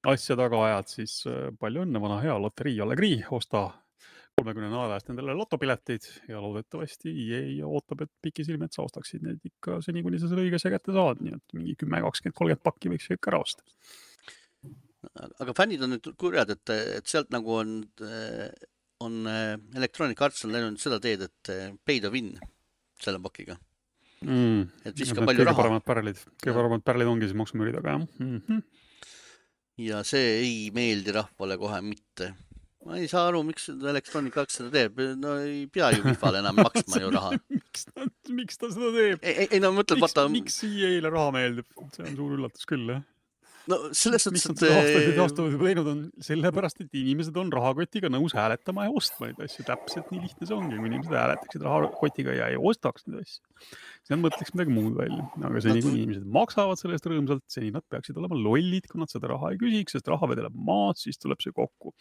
asja taga ajad, siis palju õnne, vana hea loterii Allegri, osta kolmekümne naela eest nendele lotopileteid ja loodetavasti E A ootab, et pikisilmi, et sa ostaksid neid ikka seni, kuni sa selle õigese kätte saad. Nii et mingi kümme, kakskümmend, kolmkümmend pakki võiks ikka ära osta. Aga fännid on nüüd kurjad, et, et sealt nagu on, on Electronic Arts on läinud seda teed, et pay to win selle pakiga. Mm. Et viska palju raha. Paremad pärlid. Kõige paremad pärlid ongi siis maksumüüri taga, jah. Mm-hmm. Ja see ei meeldi rahvale kohe mitte. Ma ei saa aru, miks Electronic Arts seda teeb. No ei pea ju FIFAle enam maksma ju raha. miks, ta, miks ta seda teeb? Ei, ei no mõtled, miks, vaata... Miks E A-le raha meeldib? See on suur üllatus küll, jah. No selles suhtes, et... Miks nad aastaid aastaid teinud on sellepärast, et inimesed on rahakotiga nõus hääletama ja ostma neid asju. Täpselt nii lihtne see ongi, kui inimesed hääletaksid rahakotiga ja ei ostaks neid asju. See on mõtleks midagi muud välja. Aga seni, kui inimesed maksavad sellest rõõmsalt, seni nad peaksid olema lollid, kui nad seda raha ei küsiks, sest raha vedeleb maad, siis tuleb see kokku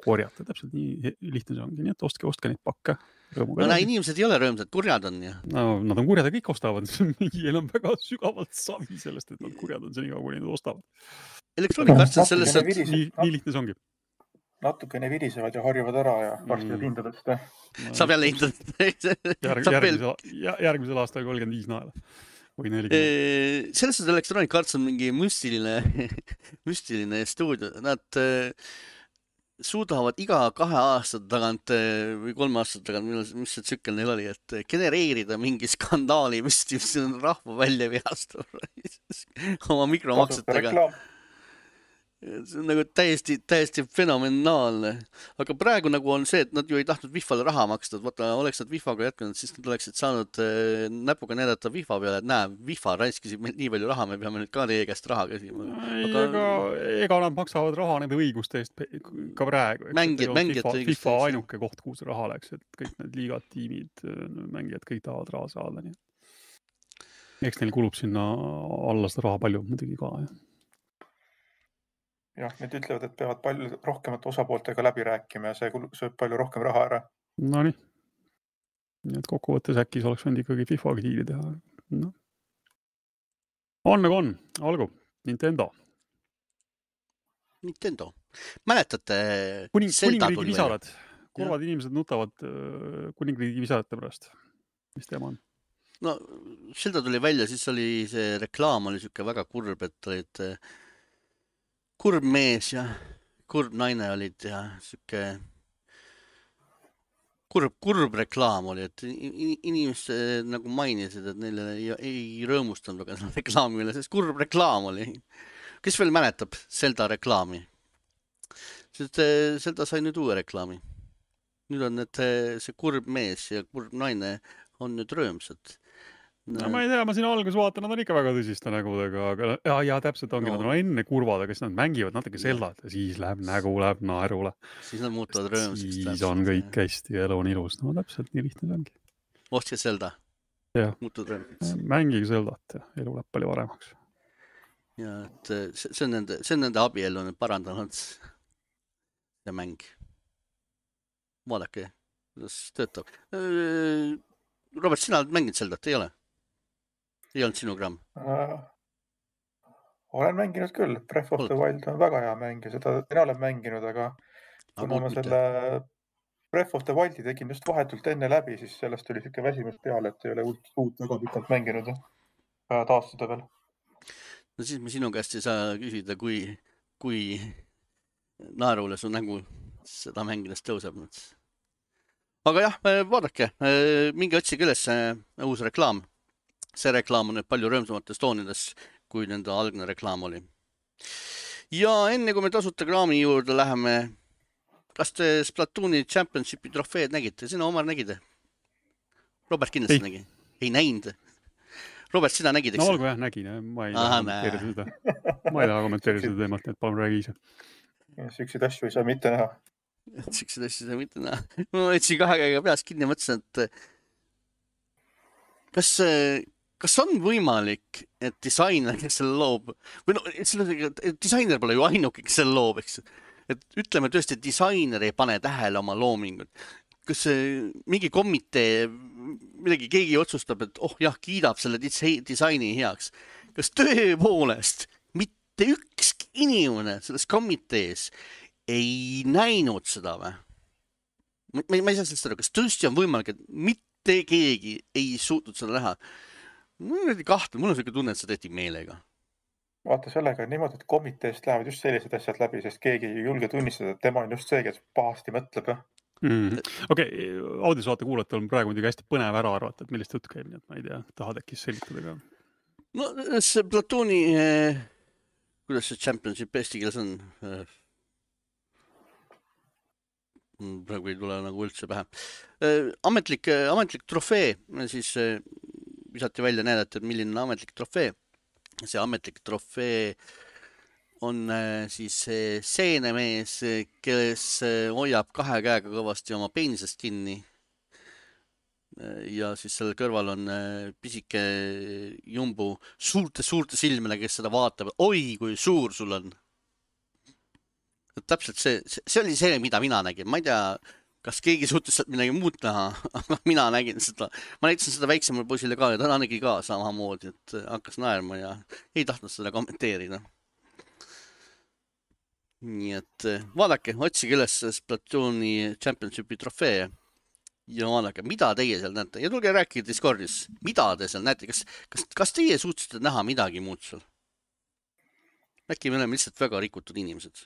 korjata. Täpselt nii lihtne see ongi. Nii et ostke, ostke neid pakke. No näe, inimesed ei ole rõõmsad, kurjad on. Ja. No, nad on kurjad ja kõik ostavad. Meil on väga sügavalt savi sellest, et nad kurjad on seni, kui nad ostavad. Elektroonik arstid selles, et nii, nii lihtne see ongi. Natukene virisevad ja harjuvad ära ja varsti mm. hindadest. No, saab jälle hindadest. Järg, järgmisel, järgmisel aastal kolmkümmend viis naela. Või nelikümmend. Selles, et Electronic Arts on mingi müstiline, müstiline stuudio. Nad suudavad iga kahe aastat tagant või kolme aastat tagant, mis see tsükkel neil oli, et genereerida mingi skandaali, mis on rahva välja vihastab oma mikromaksetega. See on nagu täiesti, täiesti fenomenaalne. Aga praegu nagu on see, et nad ju ei tahtnud Vifale raha maksta. Vaata, oleks nad Vifaga jätkanud, siis nad oleksid saanud näpuga näidata Vifa peale, et näe, Vifa raiskisib nii palju raha, me peame nüüd ka teie käest raha käsima. Aga... Ega, ega nad maksavad raha nende õiguste eest ka praegu. Mängijad, mängijad FIFA, FIFA ainuke koht, kuhu see raha läks, et kõik need liigad, tiimid, mängijad, kõik tahavad raha saada. Nii. Eks neil kulub sinna alla seda raha palju, muidugi ka, jah. Jah, need ütlevad, et peavad palju rohkemat osapooltega läbi rääkima ja see sööb palju rohkem raha ära. No nii. Nii et kokkuvõttes äkki see oleks võinud ikkagi FIFA-ga diili teha. No. On nagu on. Algu. Nintendo. Nintendo. Mäletate Kuning, Zelda kuningriigi visarad. Kurvad ja. Inimesed nutavad kuningriigi visarate pärast. Mis teema on? No, Zelda tuli välja, siis oli see reklaam oli siuke väga kurb, et olid kurb mees ja kurb naine olid ja siuke kurb, kurb reklaam oli, et inimesed nagu mainisid, et neile ei, ei rõõmustanud väga reklaami üle, sest kurb reklaam oli. Kes veel mäletab Zelda reklaami? Sest Zelda sai nüüd uue reklaami. Nüüd on need, see kurb mees ja kurb naine on nüüd rõõmsad. No, ma ei tea, ma siin alguses vaatan, nad on ikka väga tõsiste nägudega, aga ja, ja täpselt ongi, no. Nad on enne kurvad, aga siis nad mängivad natuke Zeldat ja siis läheb nägu, läheb naerule. Siis nad muutuvad rõõmsaks. Siis on kõik hästi ja elu on ilus. No täpselt nii lihtne see ongi. ostke Zelda. Jah, muutud rõõmsaks. mängige Zeldat ja elu läheb palju paremaks. Ja et see, see on nende, see on nende abielu nüüd parandanud see mäng. Vaadake, kuidas töötab. Robert, sina oled mänginud Zeldat, ei ole? Ei olnud sinu gramm? Äh, olen mänginud küll. Breath of the Wild on väga hea mäng ja seda mina olen mänginud, aga kuna ma selle Breath of the Wildi tegin just vahetult enne läbi, siis sellest oli siuke väsimus peale, et ei ole uut, uut väga pikalt mänginud ja taastada veel. No siis me sinu käest ei saa küsida, kui, kui naerule su nägu seda mängides tõuseb. Aga jah, vaadake, mingi otsige üles uus reklaam. See reklaam on nüüd palju rõõmsamates toonides, kui nende algne reklaam oli. Ja enne kui me tasuta kraami juurde läheme, kas te Splatooni Championshipi trofeed nägite? Sina, Omar, nägide? Robert kindlasti ei. nägi. Ei näinud. Robert, sina nägid, eks? No olgu jah, nägin. Ma ei taha kommenteerida seda. Ma ei taha kommenteerida seda teemat, nii et palun räägi ise. Süksid asju ei saa mitte näha. Süksid asju ei saa mitte näha. Ma võtsin kahe käega peas kinni ja mõtlesin, et kas, kas on võimalik, et disainer, kes selle loob, või no, disainer pole ju ainuke, kes selle loob, eks. Et ütleme tõesti, et disainer ei pane tähele oma loomingut. Kas mingi komitee, midagi keegi otsustab, et oh jah, kiidab selle disaini heaks. Kas tõepoolest mitte ükski inimene selles komitees ei näinud seda või? Ma, ma ei saa sellest aru, kas tõesti on võimalik, et mitte keegi ei suutnud seda näha? Mul on kahtlus, mul on selline tunne, et see tehti meelega. Vaata sellega niimoodi, et komiteest lähevad just sellised asjad läbi, sest keegi ei julge tunnistada, et tema on just see, kes pahasti mõtleb. Mm. Okei, okay, audiosaate kuulatel on praegu muidugi hästi põnev ära arvata, et millist jutt käib, nii et ma ei tea, tahad äkki selgitada ka? No see Platooni, eh, kuidas see championship eesti keeles on? Eh, praegu ei tule nagu üldse pähe. Eh, ametlik, ametlik trofee, siis eh, visati välja näidata, et milline on ametlik trofee. See ametlik trofee on siis seenemees, kes hoiab kahe käega kõvasti oma peenisest kinni. Ja siis selle kõrval on pisike jumbu suurte-suurte silmele, kes seda vaatab. Oi, kui suur sul on. Täpselt see, see oli see, mida mina nägin. Ma ei tea, kas keegi suutis midagi muud näha, aga mina nägin seda. Ma näitasin seda väiksemale poisile ka ja ta nägi ka samamoodi, et hakkas naerma ja ei tahtnud seda kommenteerida. Nii et vaadake, otsige üles Splatooni Championshipi trofee ja vaadake, mida teie seal näete. Ja tulge rääkige Discordis, mida te seal näete. Kas, kas, kas teie suutsite näha midagi muud seal? Äkki me oleme lihtsalt väga rikutud inimesed.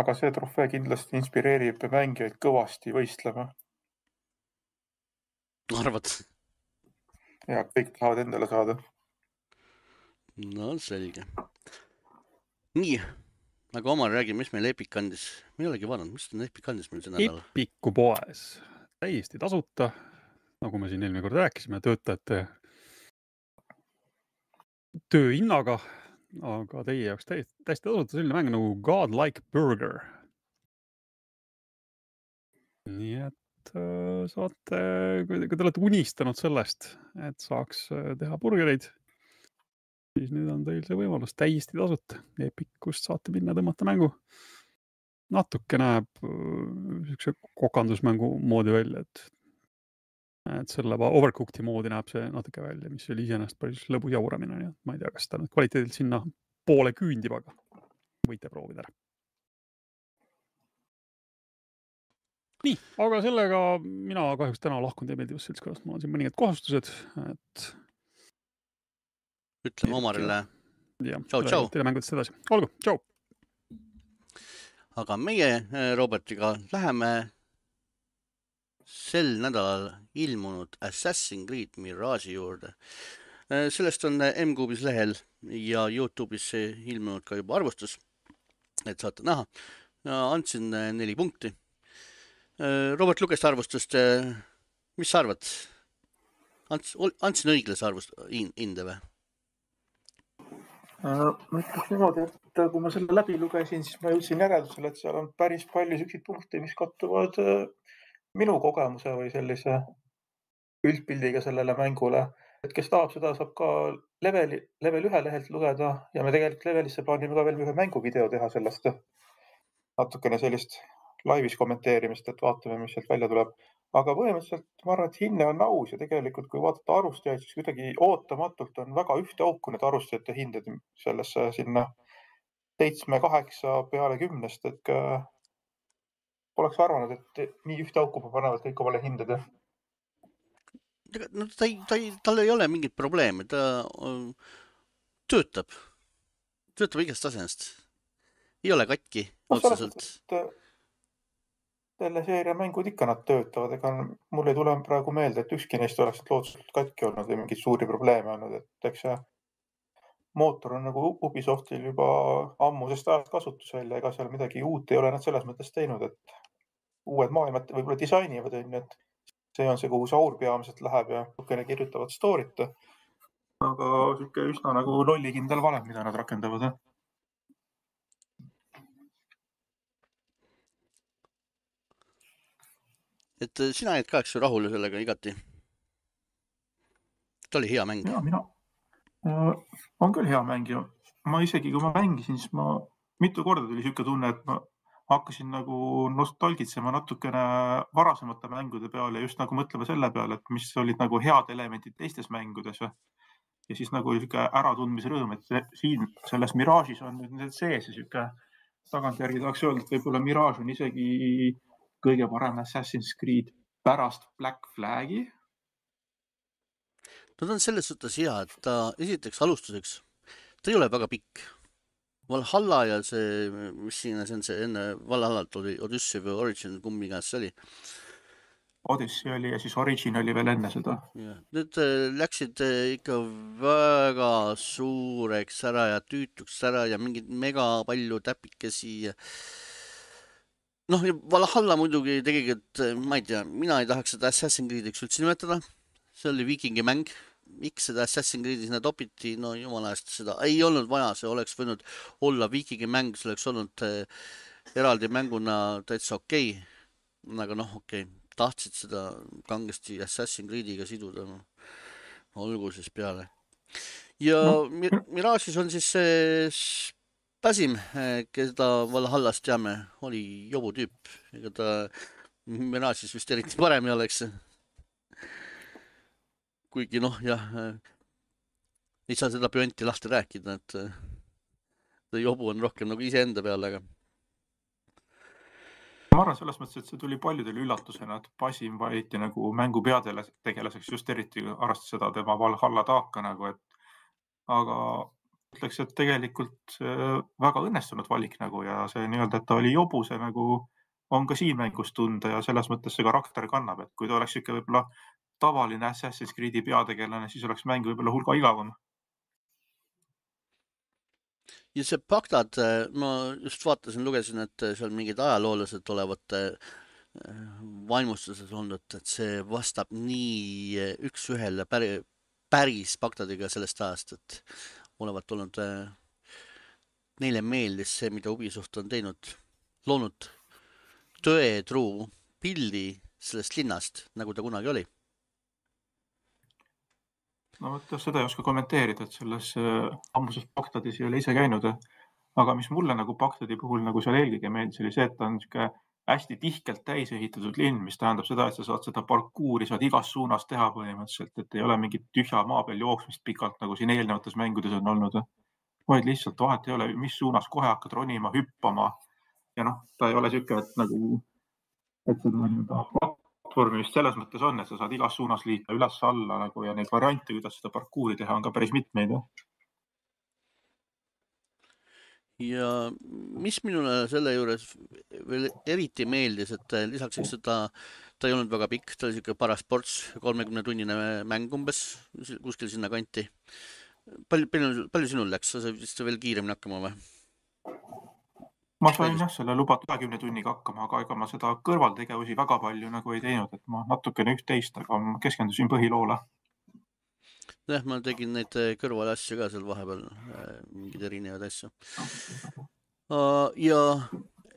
Aga see trofee kindlasti inspireerib mängijaid kõvasti võistlema. Arvad? Ja, kõik tahavad endale saada. No selge. Nii. Aga Omar räägi, mis meil Epic kandis. Me ei olegi vaadanud, mis on Epic kandis meil see nädal? Epicu poes. Täiesti tasuta. Nagu me siin eelmine kord rääkisime, töötajate tööhinnaga, aga teie jaoks täiesti, täiesti tasuta selline mäng nagu Godlike Burger. Nii et äh, saate, kui te olete unistanud sellest, et saaks teha burgereid, siis nüüd on teil see võimalus täiesti tasuta. Epicust saate minna tõmmata mängu. Natuke näeb äh, kokandusmängu moodi välja, et, et selle Overcooked'i moodi näeb see natuke välja, mis oli iseenesest päris lõbus jauramine. Nii, ma ei tea, kas ta nüüd kvaliteedilt sinna poole küündib, aga võite proovida ära. Nii, aga sellega mina kahjuks täna lahkun teie meeldivast seltskonnast. Mul on siin mõningad kohustused, et ütleme Omarile. Ja, tšau, tšau. Teile mängudest edasi. Olgu, tšau. Aga meie Robertiga läheme sel nädalal ilmunud Assassin's Creed Mirage'i juurde. Sellest on M-Kuubis lehel ja YouTube'is ilmunud ka juba arvustus, et saate näha. Andsin neli punkti. Robert luges arvustust. Mis sa arvad? Andsin õiglase arvust hinde või? Ma ütleks niimoodi, et kui ma selle läbi lugesin, siis ma jõudsin järeldusele, et seal on päris palju selliseid punkte, mis kattuvad minu kogemuse või sellise üldpildiga sellele mängule. Et kes tahab seda, saab ka leveli, level ühe lehelt lugeda ja me tegelikult levelisse plaanime ka veel ühe mänguvideo teha sellest. Natukene sellist laivis kommenteerimist, et vaatame, mis sealt välja tuleb. Aga põhimõtteliselt ma arvan, et hinne on aus ja tegelikult, kui vaadata arustajaid, siis kuidagi ootamatult on väga ühte auku need arustajate hinded sellesse sinna seitsme, kaheksa peale kümnest, et poleks arvanud, et nii ühte auku panevad kõik omale hinded. No, ta ei, ta ei, tal ei ole mingit probleemi, ta töötab, töötab igast asjast. Ei ole katki no, otseselt. Selle seeria mängud ikka nad töötavad, ega mul ei tule praegu meelde, et ükski neist oleks loodselt katki olnud või mingid suuri probleeme olnud, et eks see mootor on nagu Ubisoftil juba ammusest ajast kasutusel ja ega seal midagi uut ei ole nad selles mõttes teinud, et uued maailmad võib-olla disainivad, et see on see, kuhu see aur peamiselt läheb ja natukene kirjutavad story't, aga siuke üsna nagu lollikindel valem, mida nad rakendavad. Et sina jäid ka eks rahule sellega igati? Ta oli hea mäng. Ja, mina äh, on küll hea mäng ja ma isegi, kui ma mängisin, siis ma mitu korda tuli siuke tunne, et ma hakkasin nagu nostalgitsema natukene varasemate mängude peale ja just nagu mõtlema selle peale, et mis olid nagu head elemendid teistes mängudes. Ja siis nagu siuke äratundmise rõõm, et siin selles Mirage'is on nüüd need sees ja siuke tagantjärgi tahaks öelda, et võib-olla Mirage on isegi kõige parem Assassin's Creed pärast Black Flagi. No ta on selles suhtes hea, et ta esiteks alustuseks, ta ei ole väga pikk. Valhalla ja see, mis siin see on see enne Valhallalt oli Odyssey või Origin, kummi käes see oli? Odyssey oli ja siis Origin oli veel enne seda. Ja. Need läksid ikka väga suureks ära ja tüütuks ära ja mingid mega palju täpikesi ja noh, Valhalla muidugi tegelikult, ma ei tea, mina ei tahaks seda Assassin's Creediks üldse nimetada. See oli viikingi mäng. Miks seda Assassin's Creed'i sinna topiti? No jumala eest seda ei olnud vaja. See oleks võinud olla viikingi mäng. See oleks olnud eraldi mänguna täitsa okei. Aga noh, okei. Tahtsid seda kangesti Assassin's Creediga siduda. No, olgu siis peale. Ja no. Mirage'is on siis see Basim, keda Valhallast teame, oli jobu tüüp. Ega ta Mirage'is vist eriti parem ei oleks. Kuigi noh, jah, ei saa seda püanti lahti rääkida, et ta jobu on rohkem nagu ise enda peale, aga ma arvan selles mõttes, et see tuli paljudele üllatusena, et Basim valiti nagu mängu peategelaseks just eriti arvestades seda tema Valhalla taaka nagu, et aga ütleks, et tegelikult väga õnnestunud valik nagu ja see nii-öelda, et ta oli jobu, see nagu on ka siin mängus tunda ja selles mõttes see karakter kannab, et kui ta oleks ikka võib-olla tavaline Assassin's Creed'i peategelane, siis oleks mäng võib-olla hulga igavam. Ja see Bagdad, ma just vaatasin, lugesin, et seal mingid ajaloolased olevat vaimustuses olnud, et see vastab nii üks ühele päris Bagdadiga sellest ajast, et olevat olnud neile meeldis see, mida Ubisoft on teinud, loonud tõetruu pildi sellest linnast, nagu ta kunagi oli. No võtta, seda ei oska kommenteerida, et selles ammuses Bagdadis ei ole ise käinud, aga mis mulle nagu Bagdadi puhul nagu seal eelkõige meeldis, oli see, et ta on siuke hästi tihkelt täis ehitatud linn, mis tähendab seda, et sa saad seda parkuuri saad igas suunas teha põhimõtteliselt, et ei ole mingit tühja maa peal jooksmist pikalt, nagu siin eelnevates mängudes on olnud, vaid lihtsalt vahet ei ole, mis suunas kohe hakkad ronima, hüppama ja noh, ta ei ole siuke, et nagu et seda nii-öelda platvormi vist selles mõttes on, et sa saad igas suunas liita üles-alla nagu ja neid variante, kuidas seda parkuuri teha, on ka päris mitmeid. Ja mis minule selle juures veel eriti meeldis, et lisaks eks ta, ta ei olnud väga pikk, ta oli siuke paras ports, kolmekümne tunnine mäng umbes, kuskil sinna kanti. Palju, palju, palju sinul läks? Sa vist veel kiiremini hakkama või? Ma sain jah selle lubatud kahekümne tunniga hakkama, aga ega ma seda kõrvaltegevusi väga palju nagu ei teinud, et ma natukene üht-teist, aga ma keskendusin põhiloole. Jah, ma tegin neid kõrval asju ka seal vahepeal, mingid erinevad asju. Ja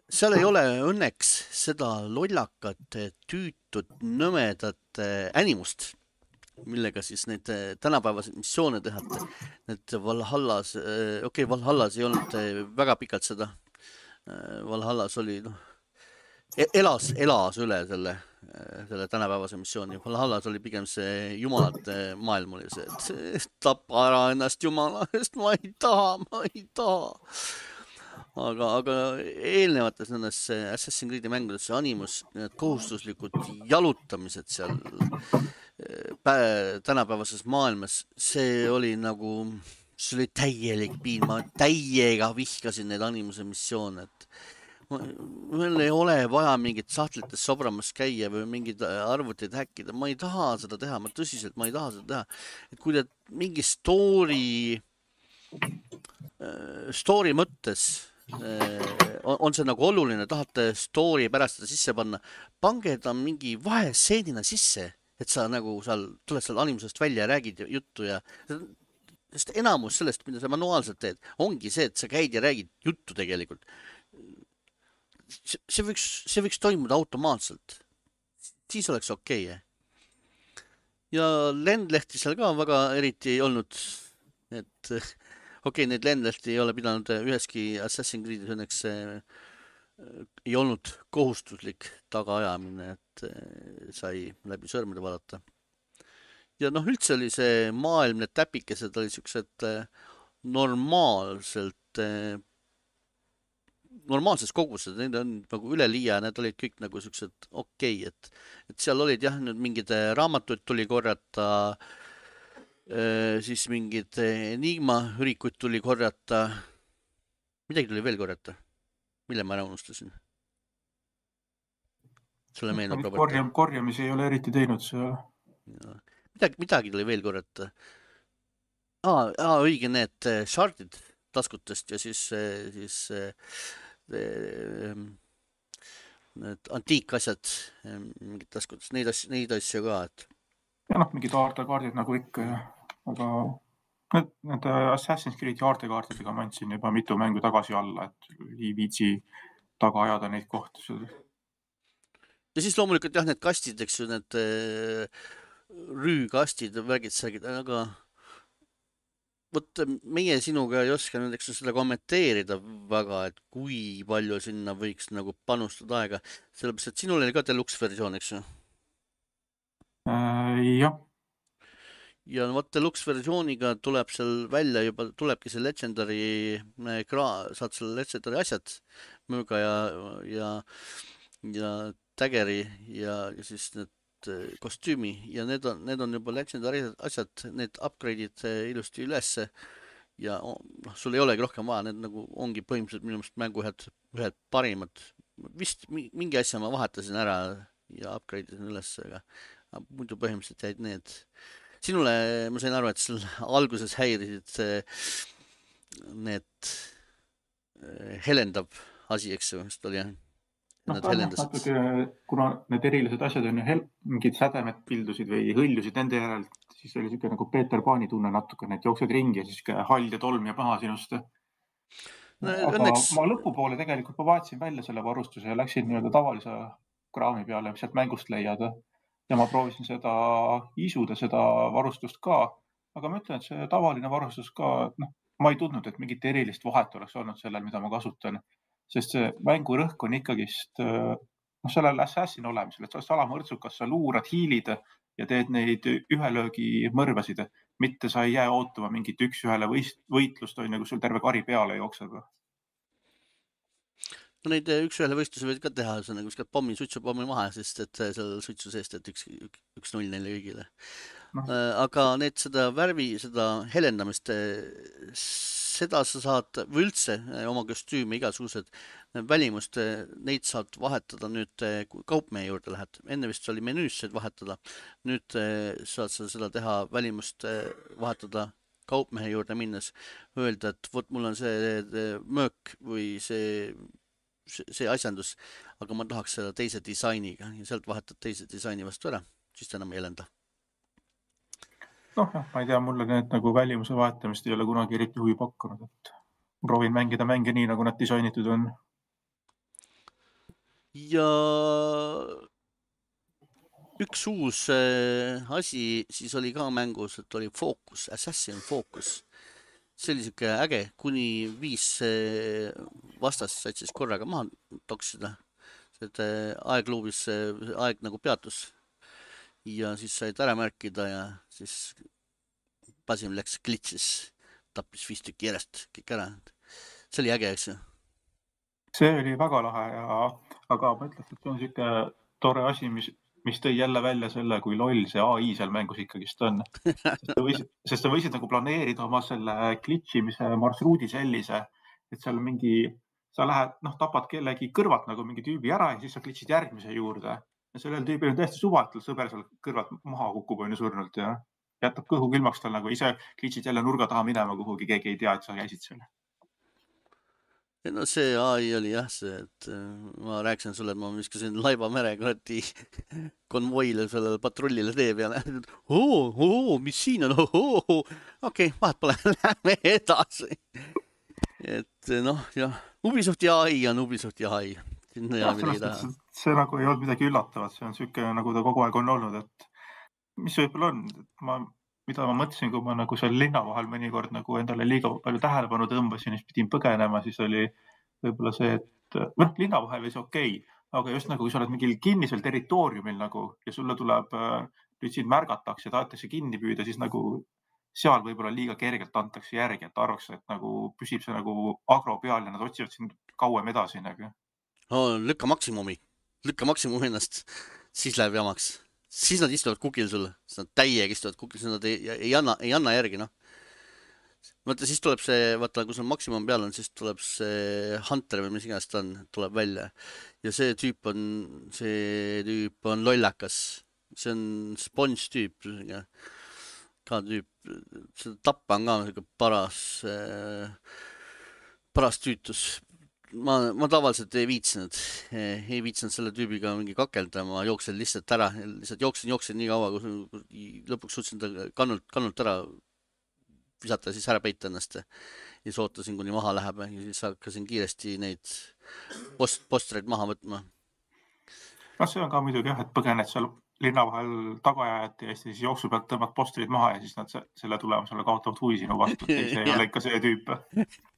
seal ei ole õnneks seda lollakat, tüütut, nõmedat animust, millega siis neid tänapäevaseid missioone tehate. Need Valhallas, okei, okay, Valhallas ei olnud väga pikalt seda. Valhallas oli, noh, elas, elas üle selle, selle tänapäevase missiooni. Valhallas oli pigem see jumalate maailm oli see, et tapa ära ennast jumala eest, ma ei taha, ma ei taha. Aga, aga eelnevates nendes Assassin's Creed'i mängudes see animus, need kohustuslikud jalutamised seal tänapäevases maailmas, see oli nagu, see oli täielik piin, ma täiega vihkasin neid animuse missioone, et meil ei ole vaja mingit sahtlites sobramas käia või mingid arvutid häkkida, ma ei taha seda teha, ma tõsiselt, ma ei taha seda teha. Et kui te mingi story, story mõttes on, on see nagu oluline, tahate story pärast seda sisse panna, pange ta mingi vaheseenina sisse, et sa nagu seal tuled seal animusest välja ja räägid juttu ja sest enamus sellest, mida sa manuaalselt teed, ongi see, et sa käid ja räägid juttu tegelikult. See võiks, see võiks toimuda automaatselt. Siis oleks okei. Okay. Ja lendlehti seal ka väga eriti ei olnud. Et okei, okay, neid lendlehti ei ole pidanud üheski Assassin's Creed'is õnneks ei olnud kohustuslik tagaajamine, et sai läbi sõrmede vaadata. Ja noh, üldse oli see maailm, need täpikesed oli siuksed normaalselt normaalses kogused, need on nagu üleliia, need olid kõik nagu siuksed okei, okay, et, et seal olid jah, nüüd mingid raamatuid tuli korjata, siis mingid enigma ürikuid tuli korjata, midagi tuli veel korjata, mille ma ära unustasin? Sulle meenub, Robert? Korjam, korjamisi ei ole eriti teinud see. Midagi, midagi tuli veel korjata. Aa, aa, õige need shardid taskutest ja siis, siis need antiikasjad mingid taskutest, neid asju, neid asju ka, et ja noh, mingid aartekaardid nagu ikka, aga need, need Assassin's Creed'i aartekaardidega ma andsin juba mitu mängu tagasi alla, et ei viitsi taga ajada neid kohti. Ja siis loomulikult jah, need kastid, eks ju, need rüükastid, värgid, särgid, aga võt meie sinuga ei oska nüüd, eks seda kommenteerida väga, et kui palju sinna võiks nagu panustada aega, sellepärast, et sinul oli ka deluxe versioon, eks ju? Äh, jah. Ja võt deluxe versiooniga tuleb seal välja juba, tulebki see Legendary, saad selle Legendary asjad, mööga ja, ja, ja Daggeri ja, ja siis need kostüümi ja need on, need on juba Legendary asjad, need upgrade'id ilusti ülesse ja noh, sul ei olegi rohkem vaja, need nagu ongi põhimõtteliselt minu meelest mängu ühed, ühed parimad. Vist mingi asja ma vahetasin ära ja upgrade'isin ülesse, aga muidu põhimõtteliselt jäid need. Sinule, ma sain aru, et sul alguses häirisid need helendab asi, eks ju, vist oli jah? No, natuke, kuna need erilised asjad on ju mingid sädemed pildusid või hõljusid nende järel, siis oli siuke nagu Peeter Paani tunne natuke, need jooksed ringi ja siis hall ja tolm ja paha sinust. No, aga õnneks... ma lõpupoole tegelikult ma vaatasin välja selle varustuse ja läksin nii-öelda tavalise kraami peale, mis sealt mängust leiad. Ja ma proovisin seda isuda, seda varustust ka, aga ma ütlen, et see tavaline varustus ka, noh, ma ei tundnud, et mingit erilist vahet oleks olnud sellel, mida ma kasutan. Sest see mängu rõhk on ikkagist no, sellel assassin olemisel, et sa oled salamõrtsukas, sa luurad, hiilid ja teed neid ühelöögi mõrvasid, mitte sa ei jää ootama mingit üks-ühele võitlust, on nagu sul terve kari peale jookseb. No neid üks-ühele võistlusi võid ka teha, see on nagu viskad pommi, suitsu pommi maha, sest et seal suitsu seest, et üks, üks null neile kõigile. No. Aga need seda värvi, seda helendamist, seda sa saad või üldse oma kostüümi igasugused välimust, neid saad vahetada nüüd, kui kaupmehe juurde lähed. Enne vist oli menüüs saad vahetada. Nüüd saad sa seda teha välimust vahetada kaupmehe juurde minnes. Öelda, et võt, mul on see möök või see, see asjandus, aga ma tahaks seda teise disainiga ja sealt vahetad teise disaini vastu ära, siis ta enam ei helenda. Noh, ma ei tea, mulle need nagu välimuse vahetamist ei ole kunagi eriti huvi pakkunud, et proovin mängida mänge nii, nagu nad disainitud on. Ja üks uus äh, asi siis oli ka mängus, et oli Focus, Assassin Focus. See oli siuke äge, kuni viis äh, vastast said siis korraga maha toksida. Et äh, aegluubis äh, aeg nagu peatus ja siis said ära märkida ja siis Basim läks glitsis, tappis viis tükki järjest kõik ära. See oli äge, eks ju? See oli väga lahe ja aga ma ütleks, et see on siuke tore asi, mis, mis tõi jälle välja selle, kui loll see A I seal mängus ikkagist on. Sest sa võisid, sest sa võisid nagu planeerida oma selle glitchimise marsruudi sellise, et seal mingi, sa lähed, noh, tapad kellegi kõrvalt nagu mingi tüübi ära ja siis sa glitchid järgmise juurde. Ja sellel tüübil on täiesti suva, et sõber seal kõrvalt maha kukub on ju surnult ja jätab kõhu külmaks tal nagu ise glitchid jälle nurga taha minema kuhugi, keegi ei tea, et sa käisid seal. No see A I oli jah see, et ma rääkisin sulle, et ma viskasin laiba mere kuradi konvoile sellele patrullile tee peale. Oo, oo, mis siin on? Okei, okay, vahet pole, lähme edasi. Et noh, jah, Ubisofti A I on Ubisofti A I. Ja, sellest, see nagu ei olnud midagi üllatavat, see on siuke, nagu ta kogu aeg on olnud, et mis võib-olla on, et ma, mida ma mõtlesin, kui ma nagu seal linna vahel mõnikord nagu endale liiga palju tähelepanu tõmbasin, siis pidin põgenema, siis oli võib-olla see, et noh, linna vahel oli see okei, aga just nagu, kui sa oled mingil kinnisel territooriumil nagu ja sulle tuleb, nüüd sind märgatakse ja tahetakse kinni püüda, siis nagu seal võib-olla liiga kergelt antakse järgi, et arvaks, et nagu püsib see nagu agro peal ja nad otsivad sind kauem edasi nagu. Oh, lükka maksimumi, lükka maksimumi ennast, siis läheb jamaks. Siis nad istuvad kukil sulle, siis nad täiega istuvad kukil, siis nad ei, ei, anna, ei anna järgi, noh. Vaata, siis tuleb see, vaata, kui sul maksimum peal on, siis tuleb see Hunter või mis iganes ta on, tuleb välja. Ja see tüüp on, see tüüp on lollakas. See on sponge tüüp, ka tüüp, see tappa on ka paras, paras tüütus. Ma, ma tavaliselt ei viitsinud, ei viitsinud selle tüübiga mingi kakelda, ma jooksen lihtsalt ära, lihtsalt jooksen, jooksen nii kaua, kui lõpuks suutsin ta kannult, kannult ära visata ja siis ära peita ennast ja siis ootasin, kuni maha läheb ja siis hakkasin kiiresti neid post, postreid maha võtma. No see on ka muidugi jah, et põgened seal linna vahel tagajajat ja siis jooksu pealt tõmbad postrid maha ja siis nad selle tulemusele kaotavad huvi sinu vastu, et see ei ole ikka see tüüp.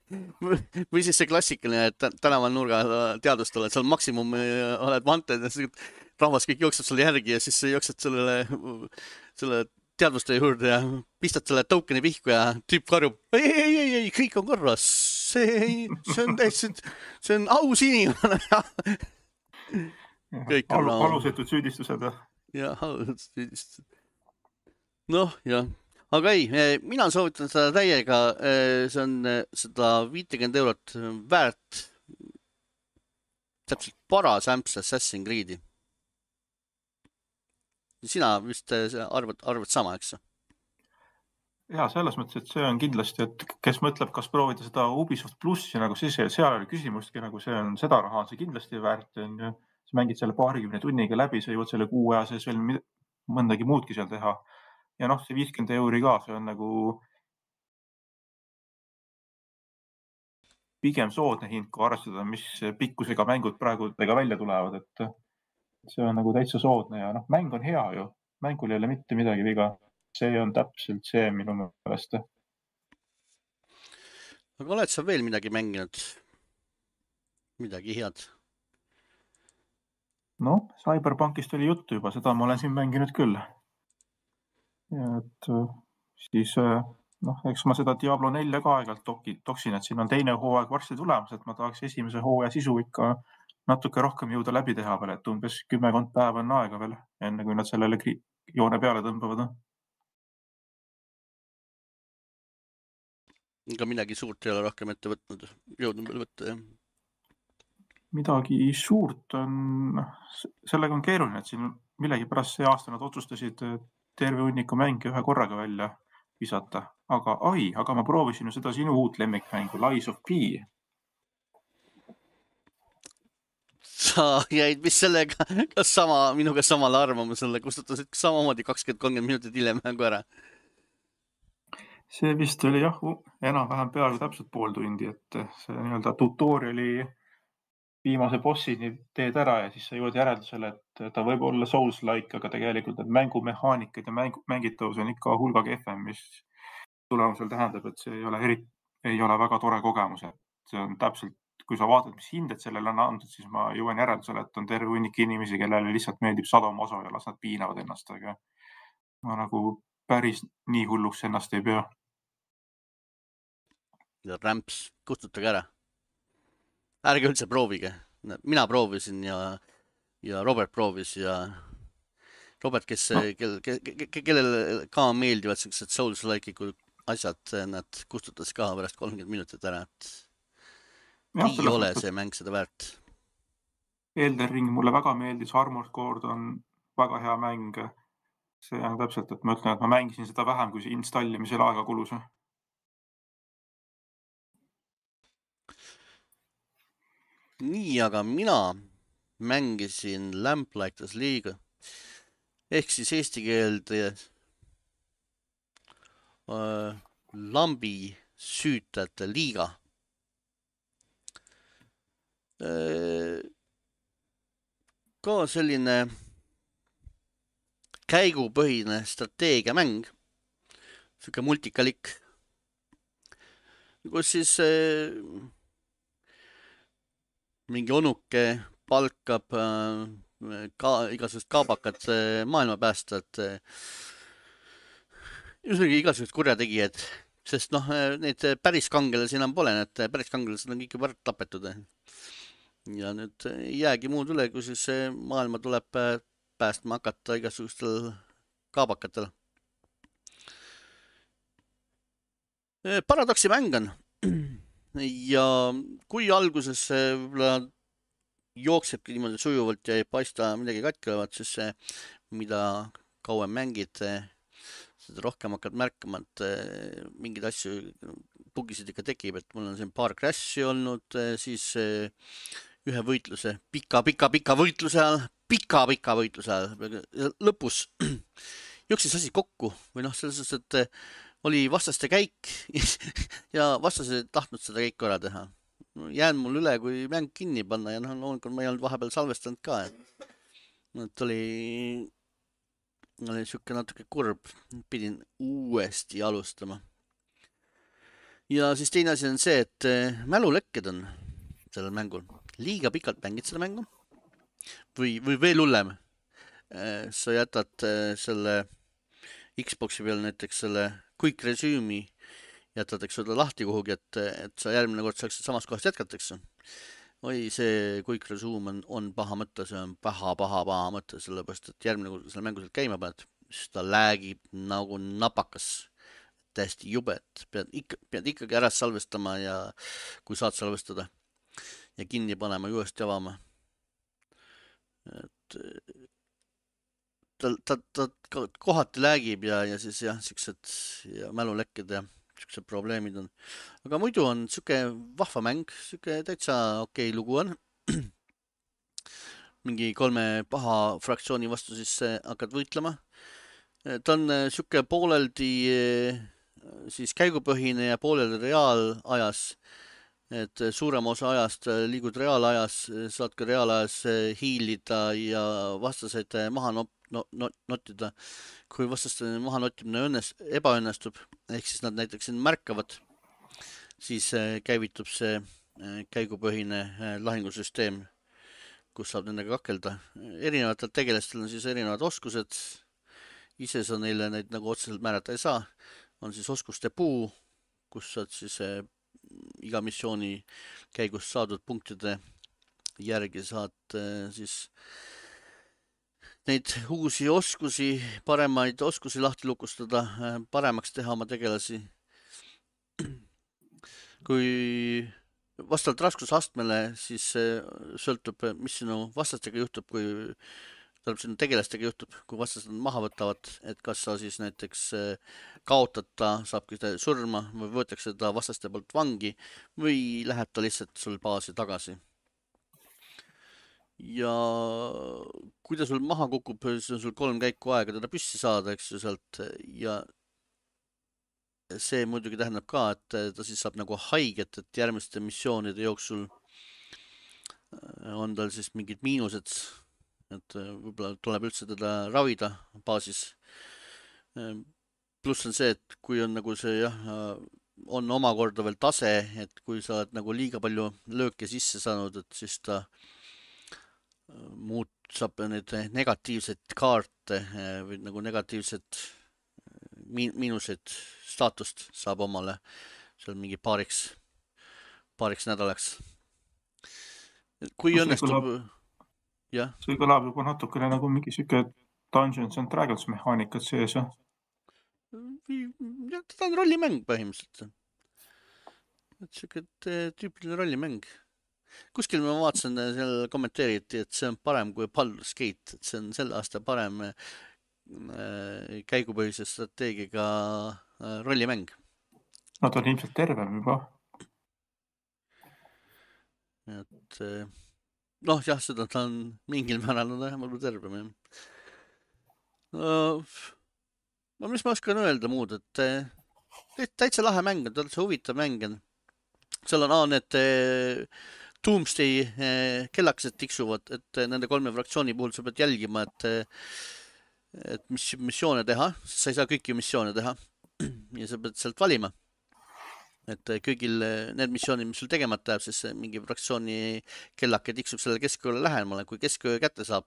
Või siis see klassikaline, et tänaval nurga teadust oled, seal maksimum oled vanted ja rahvas kõik jookseb sulle järgi ja siis jooksed sellele, selle teadvuste juurde ja pistad selle tokeni pihku ja tüüp karjub. Ei, ei, ei, ei, kõik on korras. See, see on täitsa, see on aus inimene. Kõik on Alu, alusetud süüdistused. Ja, alusetud süüdistused. Noh, jah. Aga ei, mina soovitan seda täiega, see on seda viitekümmet eurot väärt täpselt paras ämps Assassin's Creed'i. Sina vist arvad, arvad sama, eks? Ja, selles mõttes, et see on kindlasti, et kes mõtleb, kas proovida seda Ubisoft plussi, nagu siis seal oli küsimustki, nagu see on seda raha, on see kindlasti väärt. Sa mängid selle paarikümne tunniga läbi, sa jõuad selle kuu aja sees veel mõndagi muudki seal teha. Ja noh, see viiskümmend euri ka, see on nagu pigem soodne hind, kui arvestada, mis pikkusega mängud praegu tega välja tulevad, et see on nagu täitsa soodne ja noh, mäng on hea ju, mängul ei ole mitte midagi viga, see on täpselt see minu meelest. Aga oled sa veel midagi mänginud? Midagi head? No, Cyberpunkist oli juttu juba, seda ma olen siin mänginud küll. Ja et siis, noh, eks ma seda Diablo nelja ka aegalt toksin, et siin on teine hooaeg varsti tulemas, et ma tahaks esimese hooaja sisu ikka natuke rohkem jõuda läbi teha veel, et umbes kümmekond päeva on aega veel, enne kui nad sellele joone peale tõmbavad. Ega midagi suurt ei ole rohkem ette võtnud, jõudnud veel võtta, jah? Midagi suurt on, sellega on keeruline, et siin millegi pärast see aasta nad otsustasid terve hunniku mänge ühe korraga välja visata. Aga ai, aga ma proovisin ju seda sinu uut lemmikmängu, Lies of P. Sa jäid mis sellega, kas sama, minuga samale arvamusele, kustutasid samamoodi kakskümmend kolmkümmend minutit hiljem mängu ära? See vist oli jah, enam-vähem peaaegu täpselt pool tundi, et see nii-öelda tutoriali viimase bossini teed ära ja siis sa jõuad järeldusele, et ta võib olla Souls-like, aga tegelikult need mängumehaanikad ja mängu, mängitavus on ikka hulga kehvem, mis tulemusel tähendab, et see ei ole, eri, ei ole väga tore kogemus. Et see on täpselt, kui sa vaatad, mis hinded sellele on andnud, siis ma jõuan järeldusele, et on terve hunnik inimesi, kellele lihtsalt meeldib sadomaso ja las nad piinavad ennast, aga ma nagu päris nii hulluks ennast ei pea. Ja rämps, kustutage ära. Ärge üldse proovige. Mina proovisin ja, ja Robert proovis ja Robert, kes no. kel, ke, ke, kellele ka meeldivad sellised Souls-like'ikud asjad, nad kustutas ka pärast kolmkümmend minutit ära, et ja, ei ole see mäng seda väärt. Elden Ring mulle väga meeldis, Armored Core on väga hea mäng. See on täpselt, et ma ütlen, et ma mängisin seda vähem, kui see installimisel aega kulus. Nii, aga mina mängisin Lamplighters League ehk siis eesti keelde äh, lambi süütajate liiga. Äh, ka selline käigupõhine strateegiamäng, siuke multikalik, kus siis äh, mingi onuke palkab äh, ka igasugust kaabakat äh, maailma päästat, äh, igasugust kurjategijad, sest noh, neid päris kangelasi enam pole, need päris kangelased on kõik juba tapetud. Ja nüüd ei jäägi muud üle, kui siis maailma tuleb päästma hakata igasugustel kaabakatel. Paradoksi mäng on. Ja kui alguses jooksebki niimoodi sujuvalt ja ei paista midagi katki olevat, siis see, mida kauem mängid, seda rohkem hakkad märkama, et mingid asju, bugisid ikka tekib, et mul on siin paar crash'i olnud, siis ühe võitluse, pika, pika, pika võitluse ajal, pika, pika võitluse ajal, lõpus jooksis asi kokku või noh, selles suhtes, et oli vastaste käik ja vastased tahtnud seda käiku ära teha. Jään mul üle, kui mäng kinni panna ja noh, loomulikult ma ei olnud vahepeal salvestanud ka, et, et oli, oli siuke natuke kurb, pidin uuesti alustama. Ja siis teine asi on see, et mälulekked on sellel mängul. Liiga pikalt mängid seda mängu või, või veel hullem. Sa jätad selle Xboxi peal näiteks selle quick resume'i jätad, eks seda lahti kuhugi, et, et sa järgmine kord saaksid samast kohast jätkatakse. Oi, see quick resume on, on paha mõte, see on paha, paha, paha mõte, sellepärast, et järgmine kord selle mängu sealt käima paned, siis ta läägib nagu napakas. Täiesti jube, et pead, ikka, pead ikkagi ära salvestama ja kui saad salvestada ja kinni panema, juurest avama. Et ta, ta, ta kohati läägib ja, ja siis jah, siuksed ja mälulekked ja siuksed probleemid on. Aga muidu on siuke vahva mäng, siuke täitsa okei lugu on. Mingi kolme paha fraktsiooni vastu siis hakkad võitlema. Ta on siuke pooleldi siis käigupõhine ja pooleldi reaalajas. Et suurem osa ajast liigud reaalajas, saad ka reaalajas hiilida ja vastaseid maha no, no, no, nottida. Kui vastaste maha nottimine õnnest, ebaõnnestub, ehk siis nad näiteks märkavad, siis käivitub see käigupõhine lahingusüsteem, kus saab nendega kakelda. Erinevatel tegelastel on siis erinevad oskused. Ise sa neile neid nagu otseselt määrata ei saa. On siis oskuste puu, kus saad siis iga missiooni käigus saadud punktide järgi saad siis neid uusi oskusi, paremaid oskusi lahti lukustada, paremaks teha oma tegelasi. Kui vastavalt raskusastmele, siis sõltub, mis sinu vastastega juhtub, kui tähendab sinu tegelastega juhtub, kui vastased maha võtavad, et kas sa siis näiteks kaotad ta, saabki ta surma või võetakse ta vastaste poolt vangi või läheb ta lihtsalt sul baasi tagasi. Ja kui ta sul maha kukub, siis on sul kolm käiku aega teda püssi saada, eks ju sealt ja see muidugi tähendab ka, et ta siis saab nagu haiget, et järgmiste missioonide jooksul on tal siis mingid miinused, et võib-olla tuleb üldse teda ravida baasis. Pluss on see, et kui on nagu see jah, on omakorda veel tase, et kui sa oled nagu liiga palju lööke sisse saanud, et siis ta muud saab need negatiivsed kaarte või nagu negatiivsed miinuseid staatust saab omale seal mingi paariks, paariks nädalaks. Kui õnnestub, jah. See kõlab juba natukene nagu mingi siuke Dungeons and Dragons mehaanikat sees. Ja, ta on rollimäng põhimõtteliselt. Et siuke tüüpiline rollimäng. Kuskil ma vaatasin, seal kommenteeriti, et see on parem kui Baldur's Gate, et see on selle aasta parem käigupõhise strateegiga rollimäng. No ta on ilmselt tervem juba. Et noh, jah, seda ta on mingil määral on vähemalt tervem. No, no mis ma oskan öelda muud, et täitsa lahe mäng, täitsa huvitav mäng. Seal on A, need Doomsday kellakesed tiksuvad, et nende kolme fraktsiooni puhul sa pead jälgima, et, et mis missioone teha, sest sa ei saa kõiki missioone teha ja sa pead sealt valima. Et kõigil need missioonid, mis sul tegemata jääb, siis mingi fraktsiooni kellake tiksub selle keskööle lähemale. Kui kesköö kätte saab,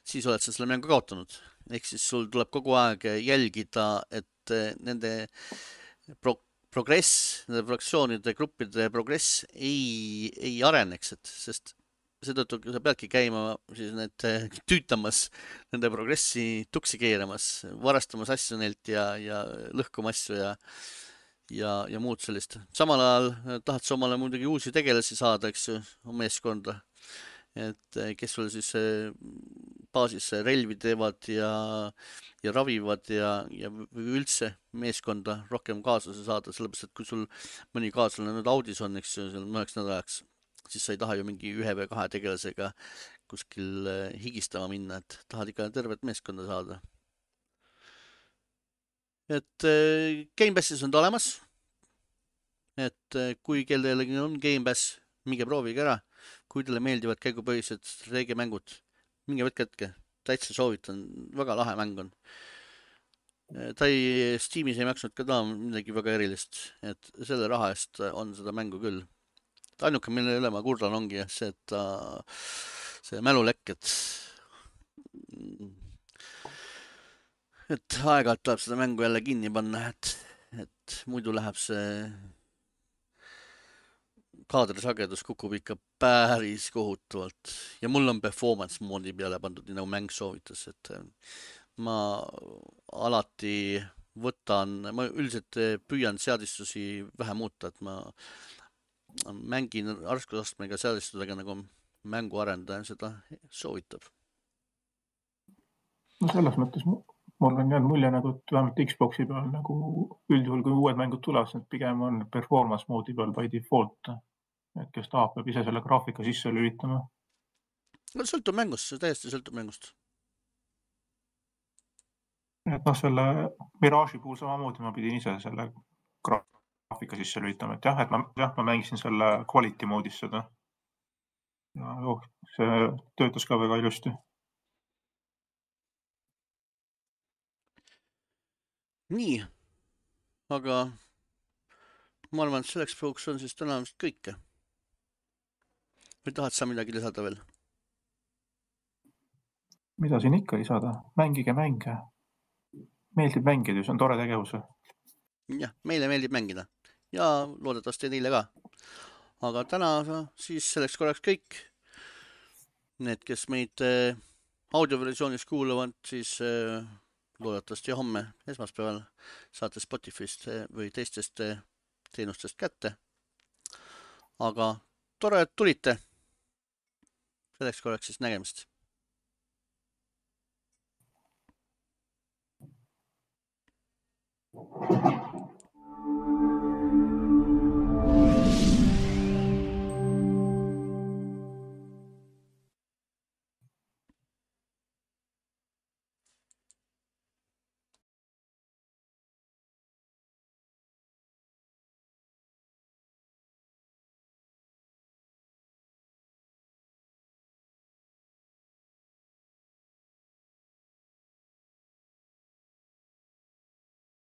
siis oled sa selle mängu kaotanud. Ehk siis sul tuleb kogu aeg jälgida, et nende pro progress, nende fraktsioonide, gruppide progress ei, ei areneks, et, sest seetõttu sa peadki käima siis need tüütamas, nende progressi tuksi keeramas, varastamas asju neilt ja, ja lõhkuma asju ja ja, ja muud sellist. Samal ajal tahad sa omale muidugi uusi tegelasi saada, eks ju, meeskonda. Et kes sul siis baasis relvi teevad ja, ja ravivad ja, ja üldse meeskonda rohkem kaaslase saada, sellepärast, et kui sul mõni kaaslane nüüd audis on, eks ju, seal mõneks nädalaks, siis sa ei taha ju mingi ühe või kahe tegelasega kuskil higistama minna, et tahad ikka tervet meeskonda saada. Et Game Passis on ta olemas, et kui kellelegi on Game Pass, minge proovige ära, kui teile meeldivad käigupõhised strateegiamängud, minge võtke hetke, täitsa soovitan, väga lahe mäng on. Ta ei, Steamis ei maksnud ka ta midagi väga erilist, et selle raha eest on seda mängu küll. Ainuke, mille üle ma kurdan ongi see, et ta, see mälulekk, et et aeg-ajalt tuleb seda mängu jälle kinni panna, et, et muidu läheb see kaadrisagedus kukub ikka päris kohutavalt. Ja mul on performance moodi peale pandud, nii nagu mäng soovitas, et ma alati võtan, ma üldiselt püüan seadistusi vähe muuta, et ma mängin raskusastmega seadistudega nagu mängu arendaja seda soovitab. No selles mõttes mul on jäänud mulje nagu, et vähemalt Xboxi peal nagu üldjuhul, kui uued mängud tulevad, siis pigem on performance moodi peal by default, et kes tahab, peab ise selle graafika sisse lülitama. No sõltub mängust, see täiesti sõltub mängust. Et noh, selle Mirage'i puhul samamoodi ma pidin ise selle graafika sisse lülitama, et jah, et ma, jah, ma mängisin selle quality moodis seda. Ja oh, see töötas ka väga ilusti. Nii, aga ma arvan, et selleks puhuks on siis täna vist kõike. Või tahad sa midagi lisada veel? Mida siin ikka lisada? Mängige mänge. Meeldib mängida, see on tore tegevus. Jah, meile meeldib mängida. Ja loodetavasti teile ka. Aga täna siis selleks korraks kõik. Need, kes meid audioversioonis kuulavad, siis loodetavasti homme esmaspäeval saate Spotify'st või teistest teenustest kätte. Aga tore, et tulite. Selleks korraks siis nägemist. Thank you.